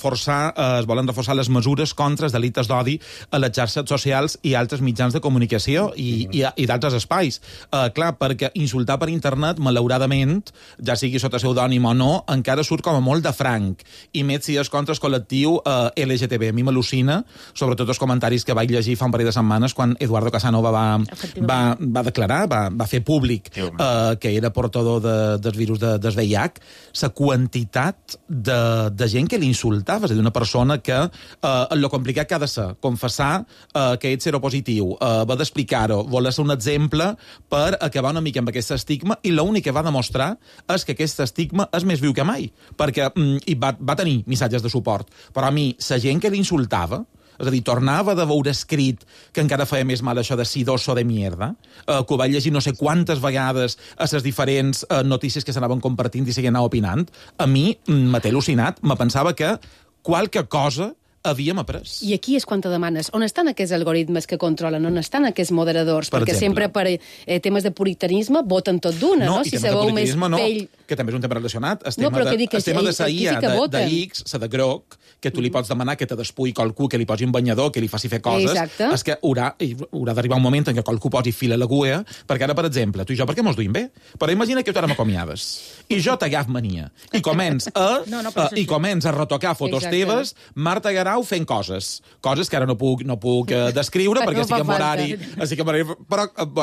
reforçar les mesures contra els delictes d'odi a les xarxes socials i altres mitjans de comunicació i d'altres espais. Clar, perquè insultar per internet, malauradament, ja sigui sota pseudònim o no, encara surt com a molt de franc. I més si és contra el col·lectiu LGTB. A mi m'al·lucina, sobretot els comentaris que vaig llegir fa un parell de setmanes quan Eduardo Casanova va declarar, va fer públic que era portador dels virus del VIH, la quantitat de gent que l'insultava, és a dir, una persona que el complicat que ha de ser confessar que ets seropositiu, va d'explicar-ho, voler ser un exemple per acabar una mica amb aquest estigma, i l'únic que va demostrar és que aquest estigma és més viu que mai, perquè va tenir missatges de suport, però a mi, la gent que l'insultava, és a dir, tornava de veure escrit que encara feia més mal això de sidoso de mierda, que ho vaig llegir no sé quantes vegades a les diferents notícies que s'anaven compartint i seguien opinant, a mi m'ha al·lucinat, me pensava que qualque cosa havíem après. I aquí és quan te demanes, on estan aquests algoritmes que controlen, on estan aquests moderadors? Perquè sempre per temes de puritanisme voten tot d'una, no? Si sabeu més pell... Que també és un tema relacionat. El tema de la IA, de X, la de groc, que tu li pots demanar que te despui qualcú, que li posi un banyador, que li faci fer coses, és que haurà d'arribar un moment en què qualcú posi fil a l'agulla, perquè ara, per exemple, tu i jo, per què mos duim bé? Però imagina que tu ara m'acomiades, i jo t'agaf mania, i començ a retocar fotos teves, Marta Garau fent coses que ara no puc descriure, perquè estic en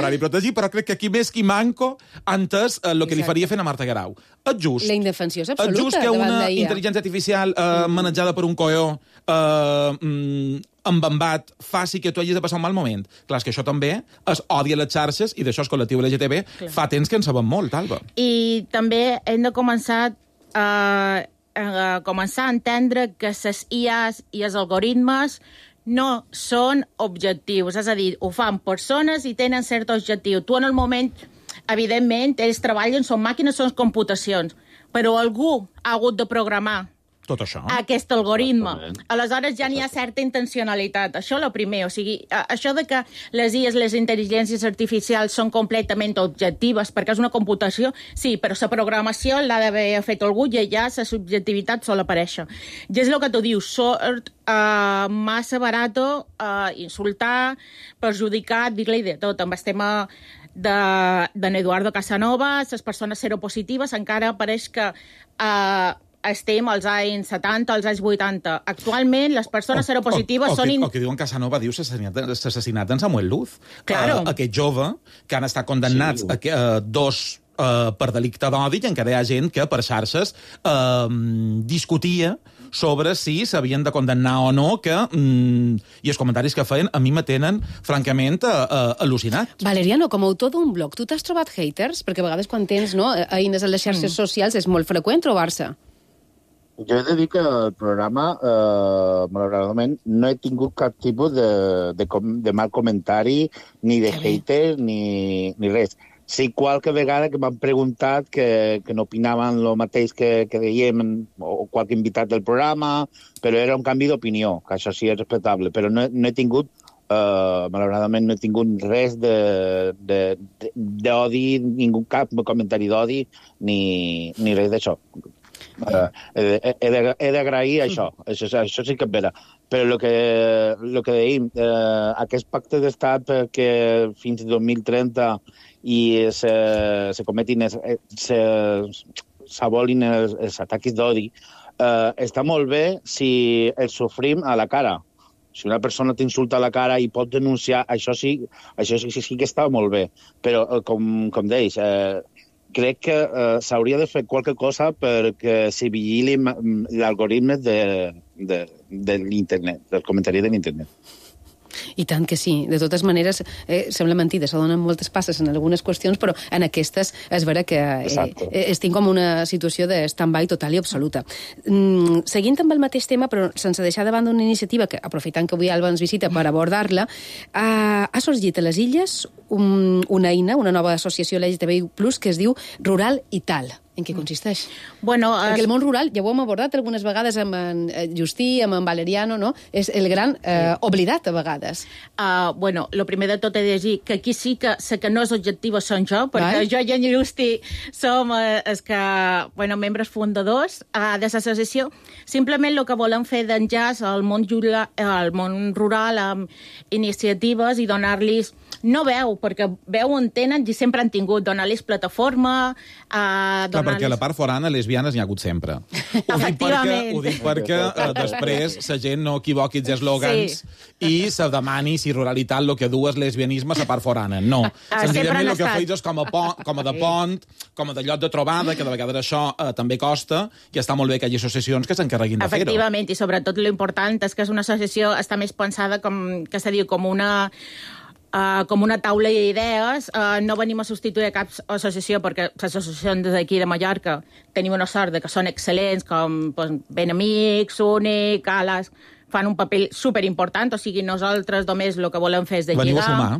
horari protegit, però crec que aquí més que manco antes el que li faria fent a Marta Garau. És just. La indefensió és absoluta. És just que una intel·ligència artificial manejada per un coió embambat faci que tu hagis de passar un mal moment. Clar, és que això també es odia les xarxes, i d'això el col·lectiu LGTB fa temps que en sabem molt, Alba. I també hem de començar a entendre que les IAs i els algoritmes no són objectius. És a dir, ho fan persones i tenen cert objectiu. Tu, en el moment, evidentment, ells treballen, són màquines, són computacions, però algú ha hagut de programar tot això. Aquest algoritme. Aleshores ja n'hi ha certa intencionalitat. Això el primer. O sigui, això de que les IAs, les intel·ligències artificials són completament objectives perquè és una computació, sí, però la programació l'ha d'haver fet algú i ja la subjectivitat sol aparèixer. I és el que tu dius, sort massa barato insultar, perjudicar, dir-li de tot. Amb el tema d'en Eduardo Casanova, les persones seropositives, encara pareix que estem als anys 70, als anys 80. Actualment, les persones seropositives són... O que diuen Casanova diu l'assassinat d'en Samuel Luz. Claro. Aquest jove que han estat condemnats dos per delicte d'odi i encara hi ha gent que per xarxes discutia sobre si s'havien de condemnar o no, i els comentaris que feien a mi me tenen, francament, al·lucinat. Valeriano, com a autor d'un blog, tu t'has trobat haters? Perquè a vegades quan tens eines a les xarxes socials és molt freqüent trobar-se. Jo he de dir que el programa, malauradament, no he tingut cap tipus de mal comentari, ni de hater, ni res. Sí, qualque vegada que m'han preguntat que no opinaven el mateix que dèiem o qualque invitat del programa, però era un canvi d'opinió, que això sí és respectable, però no he tingut, malauradament, no he tingut res d'odi, cap comentari d'odi, ni res d'això. He d'agrair això sí que és vera. Però el que deim, aquest pacte d'estat perquè fins al 2030 i se cometin, s'abolin els atacs d'odi, està molt bé si els sofrim a la cara. Si una persona t'insulta a la cara i pot denunciar, això sí que està molt bé. Però, com deies, crec que s'hauria de fer qualque cosa perquè se vigili l'algoritme de l'internet, del comentari de l'internet. I tant que sí. De totes maneres, sembla mentida, se donen moltes passes en algunes qüestions, però en aquestes és vera que estic com una situació de stand-by total i absoluta. Seguint amb el mateix tema, però sense deixar de banda una iniciativa que, aprofitant que avui Alba ens visita per abordar-la, ha sorgit a les Illes una eina, una nova associació LGTBI+, que es diu Rural i Tal. En què consisteix? Bueno, perquè el món rural, ja ho hem abordat algunes vegades amb en Justí, amb en Valeriano, no? És el gran oblidat a vegades. Bueno, el primer de tot he de dir que aquí sí que sé que no és objectiu són jo, perquè jo i en Justí som els que, membres fundadors de l'associació. Simplement el que volem fer d'enllaç al món rural amb iniciatives i donar-los no veu, perquè veu on tenen i sempre han tingut, donar-los plataforma, perquè a la part forana lesbianes n'hi ha hagut sempre. Ho dic perquè després la gent no equivoqui els eslògans i se demani si ruralitat el que du és lesbianisme a la part forana. No. Senzillament el que feis és com a de pont, com a de lloc de trobada, que de vegades això també costa, i està molt bé que hi hagi associacions que s'encarreguin de fer-ho. Efectivament, i sobretot l'important és que és una associació, està més pensada que se diu com una taula d'idees. No venim a substituir cap associació, perquè les associacions d'aquí de Mallorca tenim una sort que són excel·lents, com Ben Amics, Únic, Alas, fan un paper superimportant, o sigui, nosaltres només el que volem fer és de lligar. Veniu a sumar.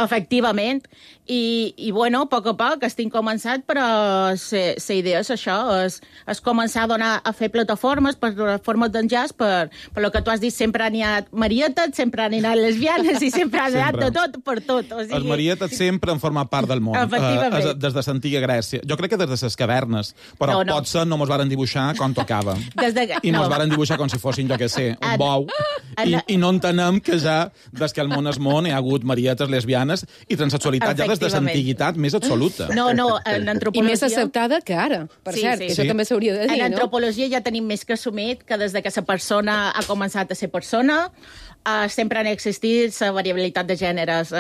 Efectivament. I bueno, a poc estic començant, però la idea és això, és començar a fer plataformes d'enllaç, per el que tu has dit, sempre n'hi ha marietes, sempre n'hi ha lesbianes i sempre ha anat de tot per tot. O sigui... Els marietes sempre han format part del món. Des de l'antiga Grècia. Jo crec que des de les cavernes, però potser no mos varen dibuixar com tocava. I mos varen dibuixar com si fossin, jo què sé, un bou. I no entenem que ja, des que el món és món, hi ha hagut marietes, lesbianes i transsexualitat ja des de l'antiguitat més absoluta. No, en antropologia... I més acceptada que ara, per cert. Això també s'hauria de dir, no? En antropologia ja tenim més que assumit que des que la persona ha començat a ser persona, sempre han existit la variabilitat de gèneres,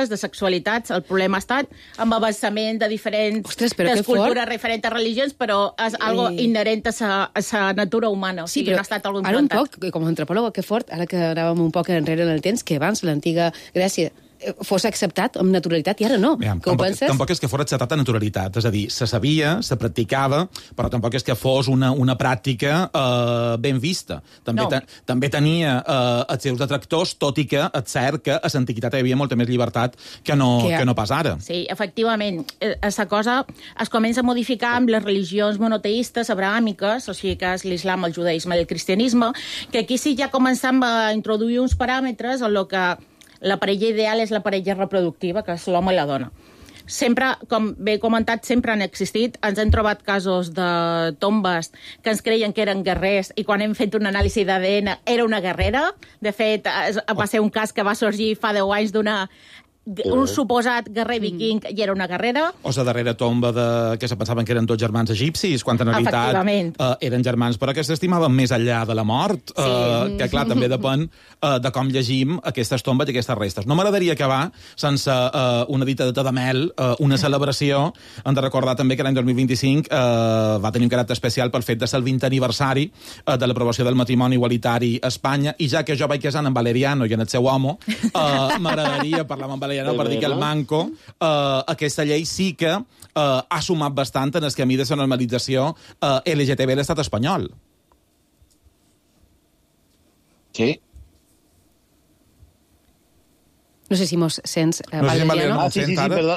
de sexualitats. El problema ha estat amb avançament de diferents cultures, diferents religions, però és algo inherent a la natura humana. O sigui, no ha estat algo implantat. Ara un poc, com a antropòloga, que fort, ara que anàvem un poc enrere en el temps, que abans l'antiga Grècia fos acceptat amb naturalitat, i ara no. Que ho penses? Tampoc és que fos acceptat amb naturalitat, és a dir, se sabia, se practicava, però tampoc és que fos una pràctica ben vista. També tenia els seus detractors, tot i que és cert que a l'antiguitat hi havia molta més llibertat que no pas ara. Sí, efectivament. Aquesta cosa es comença a modificar amb les religions monoteistes abrahàmiques, o sigui que és l'islam, el judaïsme i el cristianisme, que aquí sí ja començam a introduir uns paràmetres en el que la parella ideal és la parella reproductiva, que és l'home i la dona. Sempre, com bé he comentat, sempre han existit. Ens hem trobat casos de tombes que ens creien que eren guerrers i quan hem fet una anàlisi d'ADN era una guerrera. De fet, va ser un cas que va sorgir fa 10 anys un suposat guerrer viking i era una guerrera. O la darrera tomba que se pensaven que eren tots germans egipcis, quan en realitat eren germans, però que s'estimaven més enllà de la mort, que clar, també depèn de com llegim aquestes tombes i aquestes restes. No m'agradaria acabar sense una dita de mel, una celebració. Hem de recordar també que l'any 2025 va tenir un caràcter especial pel fet de ser el 20è aniversari de l'aprovació del matrimoni igualitari a Espanya, i ja que jo vaig casant amb Valeriano i en el seu home, m'agradaria parlar amb Valeriano per dir que el manco, aquesta llei sí que ha sumat bastant en el camí de la normalització LGTB a l'estat espanyol. Sí. No sé si mos sents, Valeriano. Sí, perdó.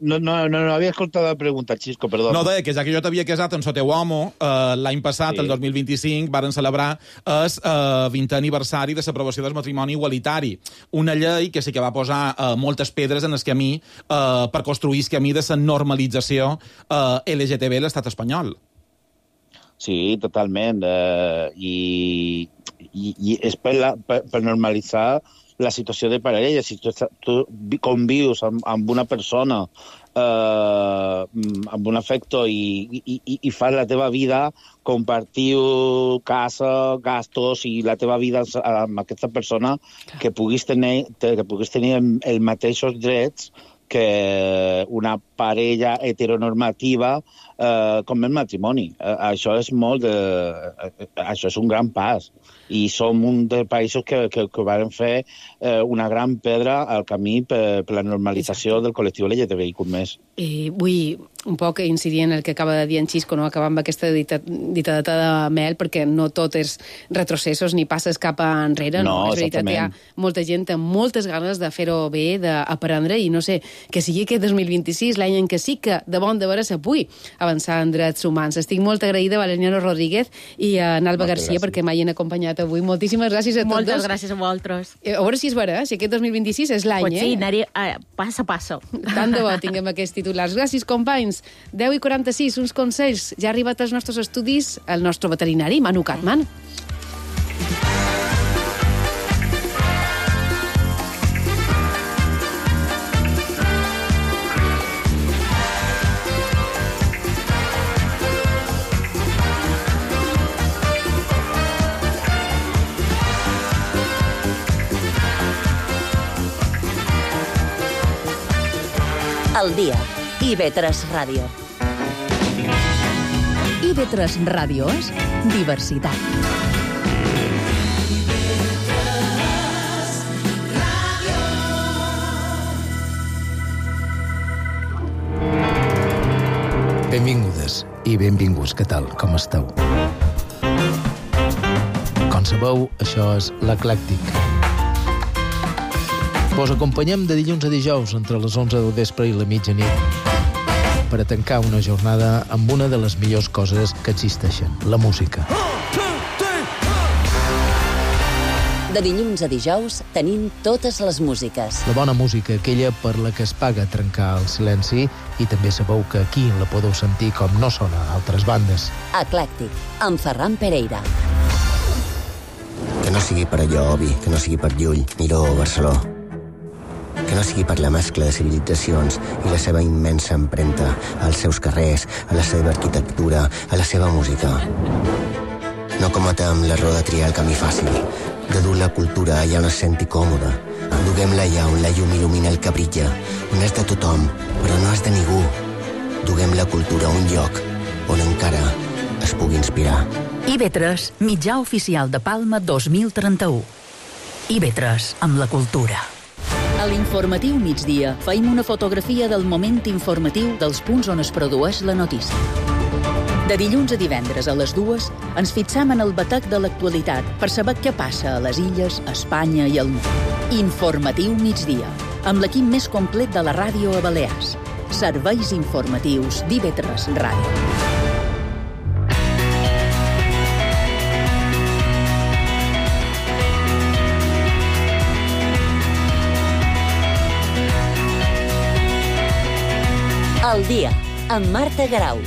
No havia escoltat la pregunta, Xisco, perdó. No, deia que ja que jo t'havia casat amb el teu home, l'any passat, el 2025, varen celebrar el 20è aniversari de l'aprovació del matrimoni igualitari. Una llei que sí que va posar moltes pedres en el camí per construir el camí de la normalització LGTB a l'estat espanyol. Sí, totalment. I és per normalitzar la situació de parella. Si tu convius amb una persona amb un afecto i fas la teva vida, compartiu casa, gastos i la teva vida amb aquesta persona, que puguis tenir els mateixos drets que una parella heteronormativa com el matrimoni. Això és això és un gran pas. I som un dels països que van fer una gran pedra al camí per la normalització del col·lectiu LGTBIQ+. Vull un poc incidir en el que acaba de dir en Xisco, no? Acabar amb aquesta dita de mel, perquè no tot és retrocessos ni passes cap enrere. No, és veritat, hi ha molta gent amb moltes ganes de fer-ho bé, d'aprendre, i no sé, que sigui aquest 2026 l'any en què sí que de bon de veres se pugui avançar en drets humans. Estic molt agraïda a Valeriano Rodríguez i a Nalba Garcia perquè m'hagin acompanyat avui. Moltíssimes gràcies a tots. Moltes gràcies a vosaltres. A veure si és vera, si aquest 2026 és l'any, sí, anaré pas a passo. Tant de bo tinguem aquests titulars. Gràcies, companys. 10:46, uns consells. Ja ha arribat als nostres estudis el nostre veterinari, Manu Catman. Al dia. IB3 Ràdio. IB3 Ràdio és diversitat. Benvingudes i benvinguts. Què tal? Com esteu? Com sabeu, això és l'Eclèctic. Vos acompanyem de dilluns a dijous entre les 11 del vespre i la mitjanit per a tancar una jornada amb una de les millors coses que existeixen, la música. De dilluns a dijous tenim totes les músiques. La bona música, aquella per la que es paga trencar el silenci, i també sabeu que aquí la podeu sentir com no sona a altres bandes. Eclèctic, amb Ferran Pereira. Que no sigui per allò, Obi, que no sigui per Llull, Miró o Barceló. Que no sigui per la mescla de civilitzacions i la seva immensa empremta als seus carrers, a la seva arquitectura, a la seva música. No cometem l'error de triar el camí fàcil, de dur la cultura allà on es senti còmode. Duguem-la allà on la llum il·lumina el que brilla, on és de tothom, però no és de ningú. Duguem la cultura a un lloc on encara es pugui inspirar. IB3, mitjà oficial de Palma 2031. IB3, amb la cultura. A l'informatiu migdia feim una fotografia del moment informatiu dels punts on es produeix la notícia. De dilluns a divendres a les 2 ens fixam en el batec de l'actualitat per saber què passa a les illes, a Espanya i al món. Informatiu migdia, amb l'equip més complet de la ràdio a Balears. Serveis informatius d'IV3 Ràdio. El dia, amb Marta Garau.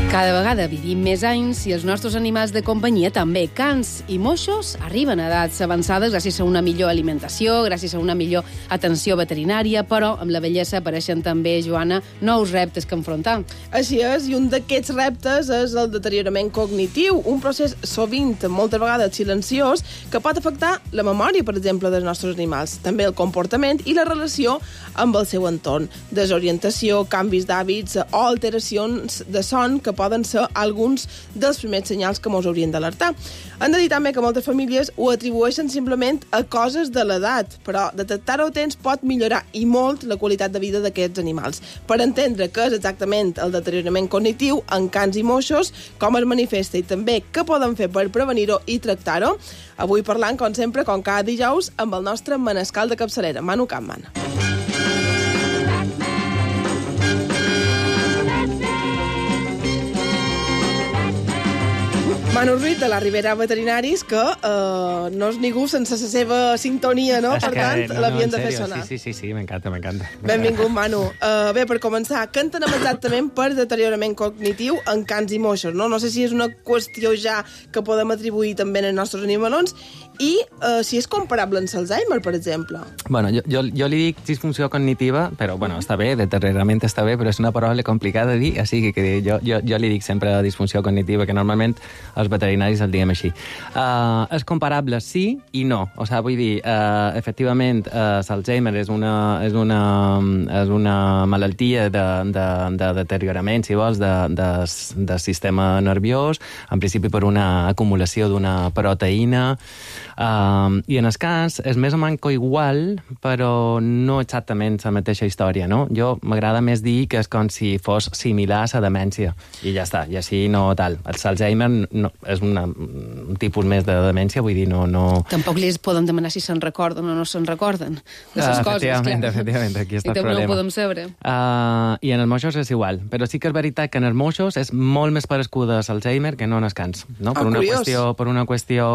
Cada vegada vivim més anys i els nostres animals de companyia també. Cans i moixos arriben a edats avançades gràcies a una millor alimentació, gràcies a una millor atenció veterinària, però amb la vellesa apareixen també, Joana, nous reptes que enfrontar. Així és, i un d'aquests reptes és el deteriorament cognitiu, un procés sovint, moltes vegades silenciós, que pot afectar la memòria, per exemple, dels nostres animals, també el comportament i la relació amb el seu entorn. Desorientació, canvis d'hàbits o alteracions de son que poden ser alguns dels primers senyals que ens haurien d'alertar. Hem de dir també que moltes famílies ho atribueixen simplement a coses de l'edat, però detectar-ho a temps pot millorar i molt la qualitat de vida d'aquests animals. Per entendre què és exactament el deteriorament cognitiu en cans i moixos, com es manifesta i també què poden fer per prevenir-ho i tractar-ho, avui parlant, com sempre, com cada dijous, amb el nostre manescal de capçalera, Manu Campman. Manu Ruiz, de la Ribera Veterinaris, que no és ningú sense la seva sintonia, no? Per tant, l'havien de fer sonar. Sí, m'encanta. Benvingut, Manu. Bé, per començar, què entenem exactament per deteriorament cognitiu en cans i moixos, no? No sé si és una qüestió ja que podem atribuir també als nostres animalons i si és comparable amb l'Alzheimer, per exemple. Bueno, jo li dic disfunció cognitiva, però, bueno, està bé, deteriorament està bé, però és una paraula complicada de dir, així que jo li dic sempre disfunció cognitiva, que normalment els veterinaris el diguem així. És comparable sí i no. O sigui, vull dir, efectivament, l'Alzheimer és una malaltia de deteriorament, si vols, del sistema nerviós, en principi per una acumulació d'una proteïna, i en el cas és més o manco igual, però no exactament la mateixa història, no? Jo m'agrada més dir que és com si fos similar a la demència, i ja està, i així no tal. L'Alzheimer no, és un tipus més de demència, vull dir, no... Tampoc li poden demanar si se'n recorden o no se'n recorden de les coses, clar. Efectivament, aquí està el problema. I també no ho podem saber. I en els moixos és igual, però sí que és veritat que en els moixos és molt més parescuda l'Alzheimer que no en els cans, no? Per una qüestió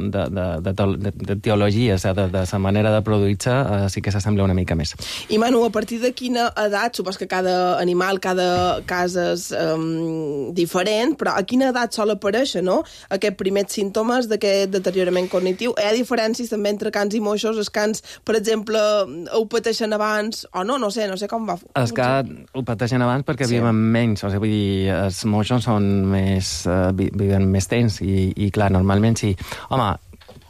de teologia, de la manera de produir-se, sí que s'assembla una mica més. I Manu, a partir de quina edat, supos que cada animal, cada cas és diferent, però a quina edat sol aparèixer, no?, aquests primers símptomes d'aquest deteriorament cognitiu? Hi ha diferències també entre cans i moixos? Els cans, per exemple, ho pateixen abans o no? No sé com va. Els cans ho pateixen abans perquè viuen menys, o sigui, vull dir, els moixos són viven més temps i clar, normalment sí. Home,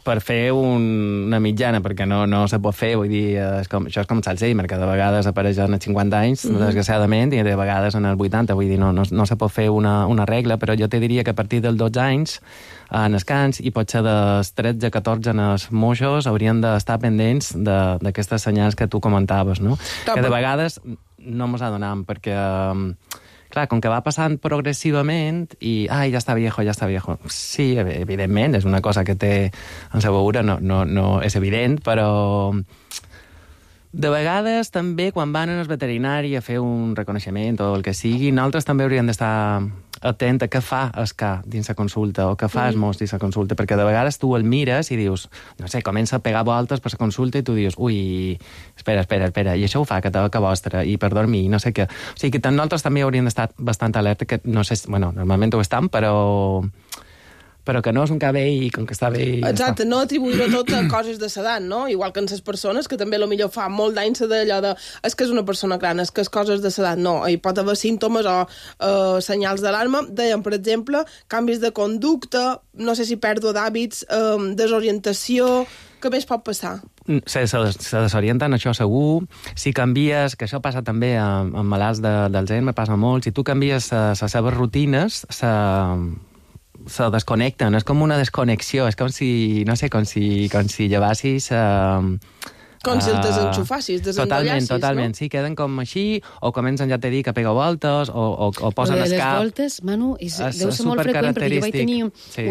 per fer una mitjana, perquè no se pot fer, vull dir, això és com l'Alzheimer, que de vegades apareix als 50 anys, desgraciadament, i de vegades en els 80, vull dir, no se pot fer una regla, però jo te diria que a partir dels 12 anys, en els cans, i potser dels 13-14 en els moixos, haurien d'estar pendents d'aquestes senyals que tu comentaves, no? Que de vegades no mos adonam, perquè... Clar, com que va passant progressivament i, ja està viejo. Sí, evidentment, és una cosa que té en sa veure, no és evident, però de vegades també quan van al veterinari a fer un reconeixement o el que sigui, nosaltres també hauríem d'estar atent a què fa el ca dins la consulta o què fa el mos dins la consulta, perquè de vegades tu el mires i dius, no sé, comença a pegar voltes per la consulta i tu dius, ui, espera, i això ho fa que vostra, i per dormir, no sé què. O sigui que nosaltres també hauríem d'estar bastant alerta, que no sé, bueno, normalment ho estan, però que no és un cabell i com que està bé... Exacte, no atribuir-ho tot a coses de l'edat, no? Igual que en les persones, que també millor fa molt d'anys d'allò de... És que és una persona gran, és que és coses de l'edat, no. Hi pot haver símptomes o senyals d'alarma. Dèiem, per exemple, canvis de conducta, no sé si pèrdua d'hàbits, desorientació... Què més pot passar? Se desorienten, això segur. Si canvies, que això passa també amb malalts d'Alzheimer, passa molt, si tu canvies les seves rutines, se desconnecten, és com una desconnexió, és com si, no sé, com si llevassis... Com si el desenxufassis, desenrollassis, Totalment, sí, queden com així, o comencen, ja t'he dit, a pegar voltes, o posen el cap... Les voltes, Manu, deu ser molt freqüent, perquè jo vaig tenir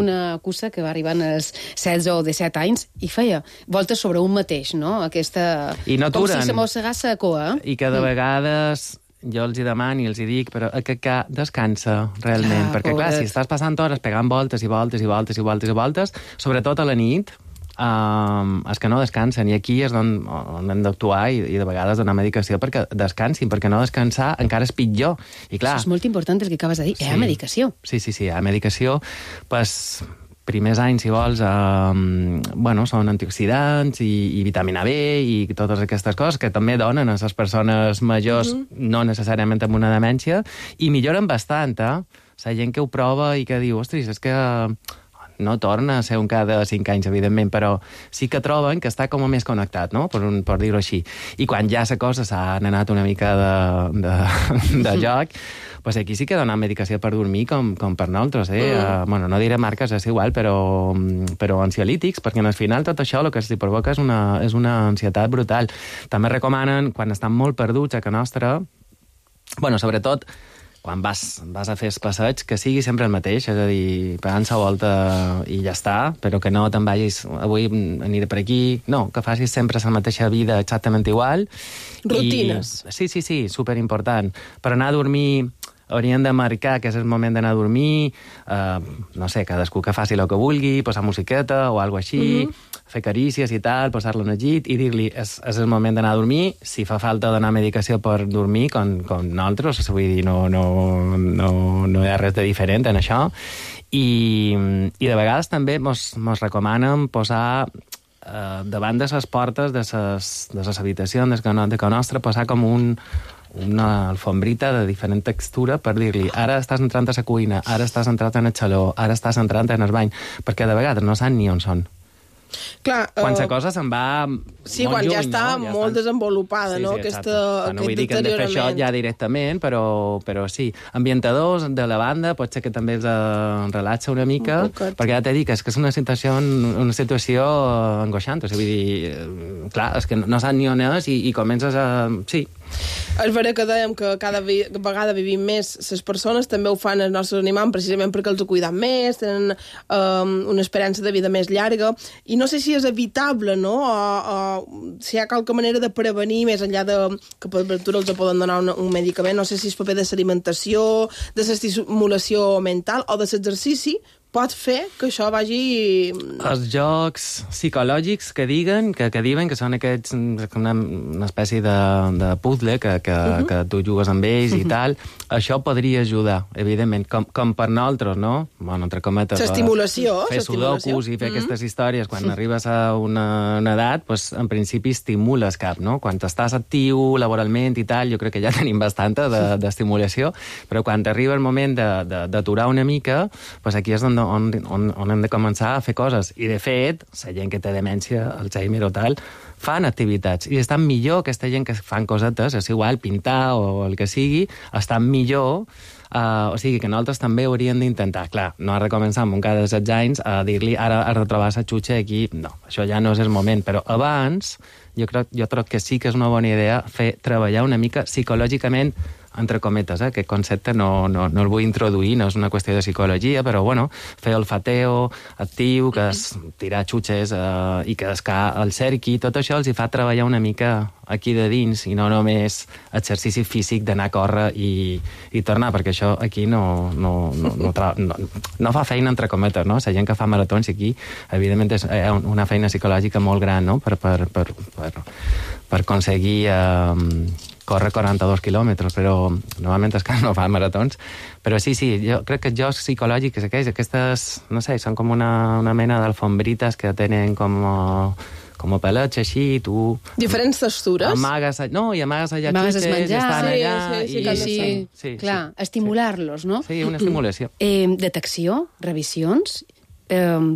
una cussa que va arribar als 16 o 17 anys i feia voltes sobre un mateix, no? Aquesta... I no com si se mossegàs la cua. I que de vegades... Jo els hi demano i els hi dic, però que descansa realment, perquè clar, si estàs passant hores pegant voltes i voltes i voltes i voltes i voltes, sobretot a la nit, és que no descansen, i aquí és on hem d'actuar i de vegades donar medicació perquè descansin, perquè no descansar encara és pitjor. I clar, això és molt important el que acabes de dir, hi ha medicació. Sí, hi ha medicació, pues, primers anys, si vols, són antioxidants i vitamina B i totes aquestes coses que també donen a les persones majors, no necessàriament amb una demència, i milloren bastant, La gent que ho prova i que diu, ostres, és que no torna a ser un cada 5 anys, evidentment, però sí que troben que està com a més connectat, no?, per dir-ho així. I quan ja la cosa s'ha anat una mica de joc, pues aquí sí que donen medicació per dormir com per nosaltres, no diré marques, és igual, però ansiolítics, perquè al final tot això el que els provoca és una ansietat brutal. També recomanen, quan estan molt perduts a casa nostra, sobretot quan vas a fer passeig, que sigui sempre el mateix, és a dir, pegant la volta i ja està, però que no te'n vagis, avui aniré per aquí, no, que facis sempre la mateixa vida exactament igual. Rutines. Sí, superimportant. Per anar a dormir haurien de marcar que és el moment d'anar a dormir, no sé, cadascú que faci el que vulgui, posar musiqueta o alguna així, fer carícies i tal, posar-lo en el llit i dir-li és el moment d'anar a dormir, si fa falta donar medicació per dormir, com nosaltres, vull dir, no hi ha res de diferent en això, i de vegades també mos recomanen posar davant de les portes de les habitacions de casa nostra, posar com una alfombrita de diferent textura per dir-li, ara estàs entrant a la cuina, ara estàs entrant en el saló, ara estàs entrant en el bany, perquè de vegades no saben ni on són. Clar, quan la cosa se'n va sí, quan ja està molt desenvolupada, no? Aquest no vull dir que hem de fer això ja directament, però sí. Ambientadors de la banda pot ser que també els relaxa una mica, perquè ja t'he dit que és una situació angoixant, o sigui, vull dir, clar, és que no saps ni on és i comences a... Sí. És vera que dèiem que cada vegada vivim més les persones, també ho fan els nostres animals precisament perquè els ho cuiden més, tenen una esperança de vida més llarga, i no sé si és evitable, no?, o si hi ha qualque manera de prevenir, més enllà de que per aventura els poden donar un medicament, no sé si és paper de l'alimentació, de l'estimulació mental o de l'exercici, pot fer que això vagi... Els jocs psicològics que diuen que són aquests, una espècie de puzzle que tu jugues amb ells i tal, això podria ajudar, evidentment, com per nosaltres, no? Bueno, entre cometes... L'estimulació. Fer sudokus i fer aquestes històries quan arribes a una edat, doncs, en principi estimules cap, no? Quan estàs actiu laboralment i tal, jo crec que ja tenim bastanta d'estimulació, però quan arriba el moment d'aturar una mica, doncs aquí és on hem de començar a fer coses. I, de fet, la gent que té demència, Alzheimer o tal, fan activitats. I estan millor aquesta gent que fan cosetes, és igual, pintar o el que sigui, estan millor. O sigui que nosaltres també hauríem d'intentar. Clar, no has de començar amb un cada 16 anys a dir-li ara has de trobar la xutxa aquí. No, això ja no és el moment. Però abans, jo crec que sí que és una bona idea treballar una mica psicològicament, entre cometes, aquest concepte no el vull introduir, no és una qüestió de psicologia, però bueno, fer olfateo actiu, que és tirar xutxes i que el cerqui, tot això els hi fa treballar una mica aquí de dins i no només exercici físic d'anar a córrer i tornar, perquè això aquí no fa feina entre cometes, no? La gent que fa maratons aquí, evidentment és una feina psicològica molt gran, no?, per aconseguir córrer 42 quilòmetres, però normalment és que no fan maratons. Però sí, jo crec que els jocs psicològics aquestes, no sé, són com una mena d'alfombrites que tenen com a pelets així, i tu... Diferents textures? Amagues allà xutxes, estan allà... Sí, clar, estimular-los, no? Sí, una estimulació. Detecció, revisions...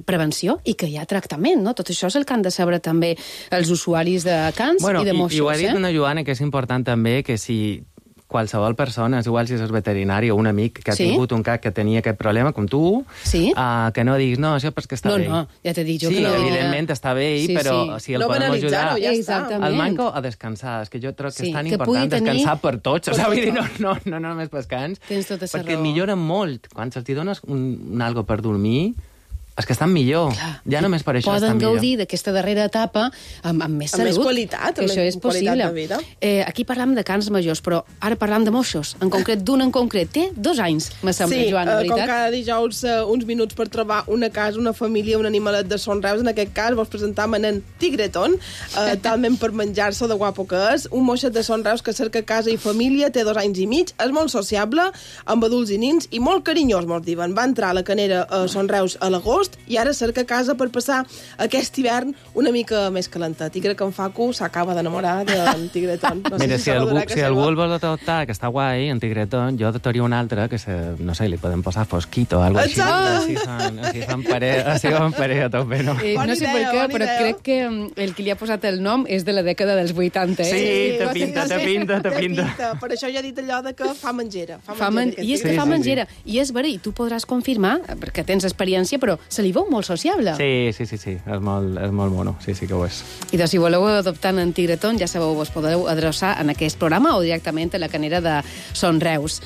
prevenció i que hi ha tractament, no? Tot això és el que han de saber també els usuaris de cans i de moixos. I ho ha dit una Joana, que és important també, que si qualsevol persona, és igual si és veterinari o un amic que ha tingut un cat que tenia aquest problema, com tu, que no diguis, no, això perquè està bé. No, ja t'he dit jo que no. Sí, evidentment està bé, però si el podem ajudar... El manco a descansar, és que jo trobo que és tan important descansar per tots, vull dir, no només pels cans, perquè millora molt. Quan se'ls dones un algo per dormir, és que estan millor. Ja només per això estan millor. Poden gaudir d'aquesta darrera etapa amb més salut. Amb més qualitat, això és possible. De vida. Aquí parlam de cans majors, però ara parlam de moixos. En concret, d'un en concret. Té 2 anys, me sembla, Joan, de veritat. Com cada dijous, uns minuts per trobar una casa, una família, un animalet de Son Reus. En aquest cas, vols presentar en Tigreton, talment per menjar-se de guapo que és. Un moixet de Son Reus que cerca casa i família, té 2 anys i mig, és molt sociable, amb adults i nins, i molt carinyós, mos diuen. Va entrar a la Canera a Son Reus a l'agost, i ara cerca casa per passar aquest hivern una mica més calentat. I crec que en Facu s'acaba d'enamorar d'en Tigreton. Mira, si algú el vol adoptar, que està guai, en Tigreton, jo adoptaria un altre que, no sé, li podem posar Fosquito o alguna cosa així. Així fan parella a tope, no? No sé per què, però crec que el que li ha posat el nom és de la dècada dels 80, Sí, te pinta. Per això ja he dit allò de que fa menjera. I és que fa menjera. I és vera, i tu podràs confirmar, perquè tens experiència, però se li veu molt sociable. Sí, és molt mono, sí que ho és. I doncs, si voleu adoptar en Tigreton, ja sabeu, vos podeu adreçar en aquest programa o directament a la Canera de Son Reus.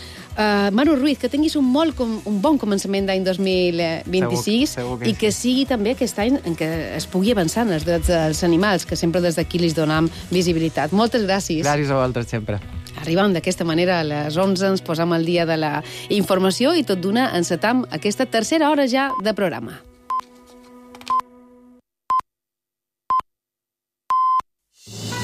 Manu Ruiz, que tinguis un bon començament d'any 2026 i que sigui també aquest any en què es pugui avançar en els drets dels animals, que sempre des d'aquí li donem visibilitat. Moltes gràcies. Gràcies a vosaltres, sempre. Arribem d'aquesta manera a les 11, ens posam al dia de la informació i tot d'una encetam aquesta tercera hora ja de programa.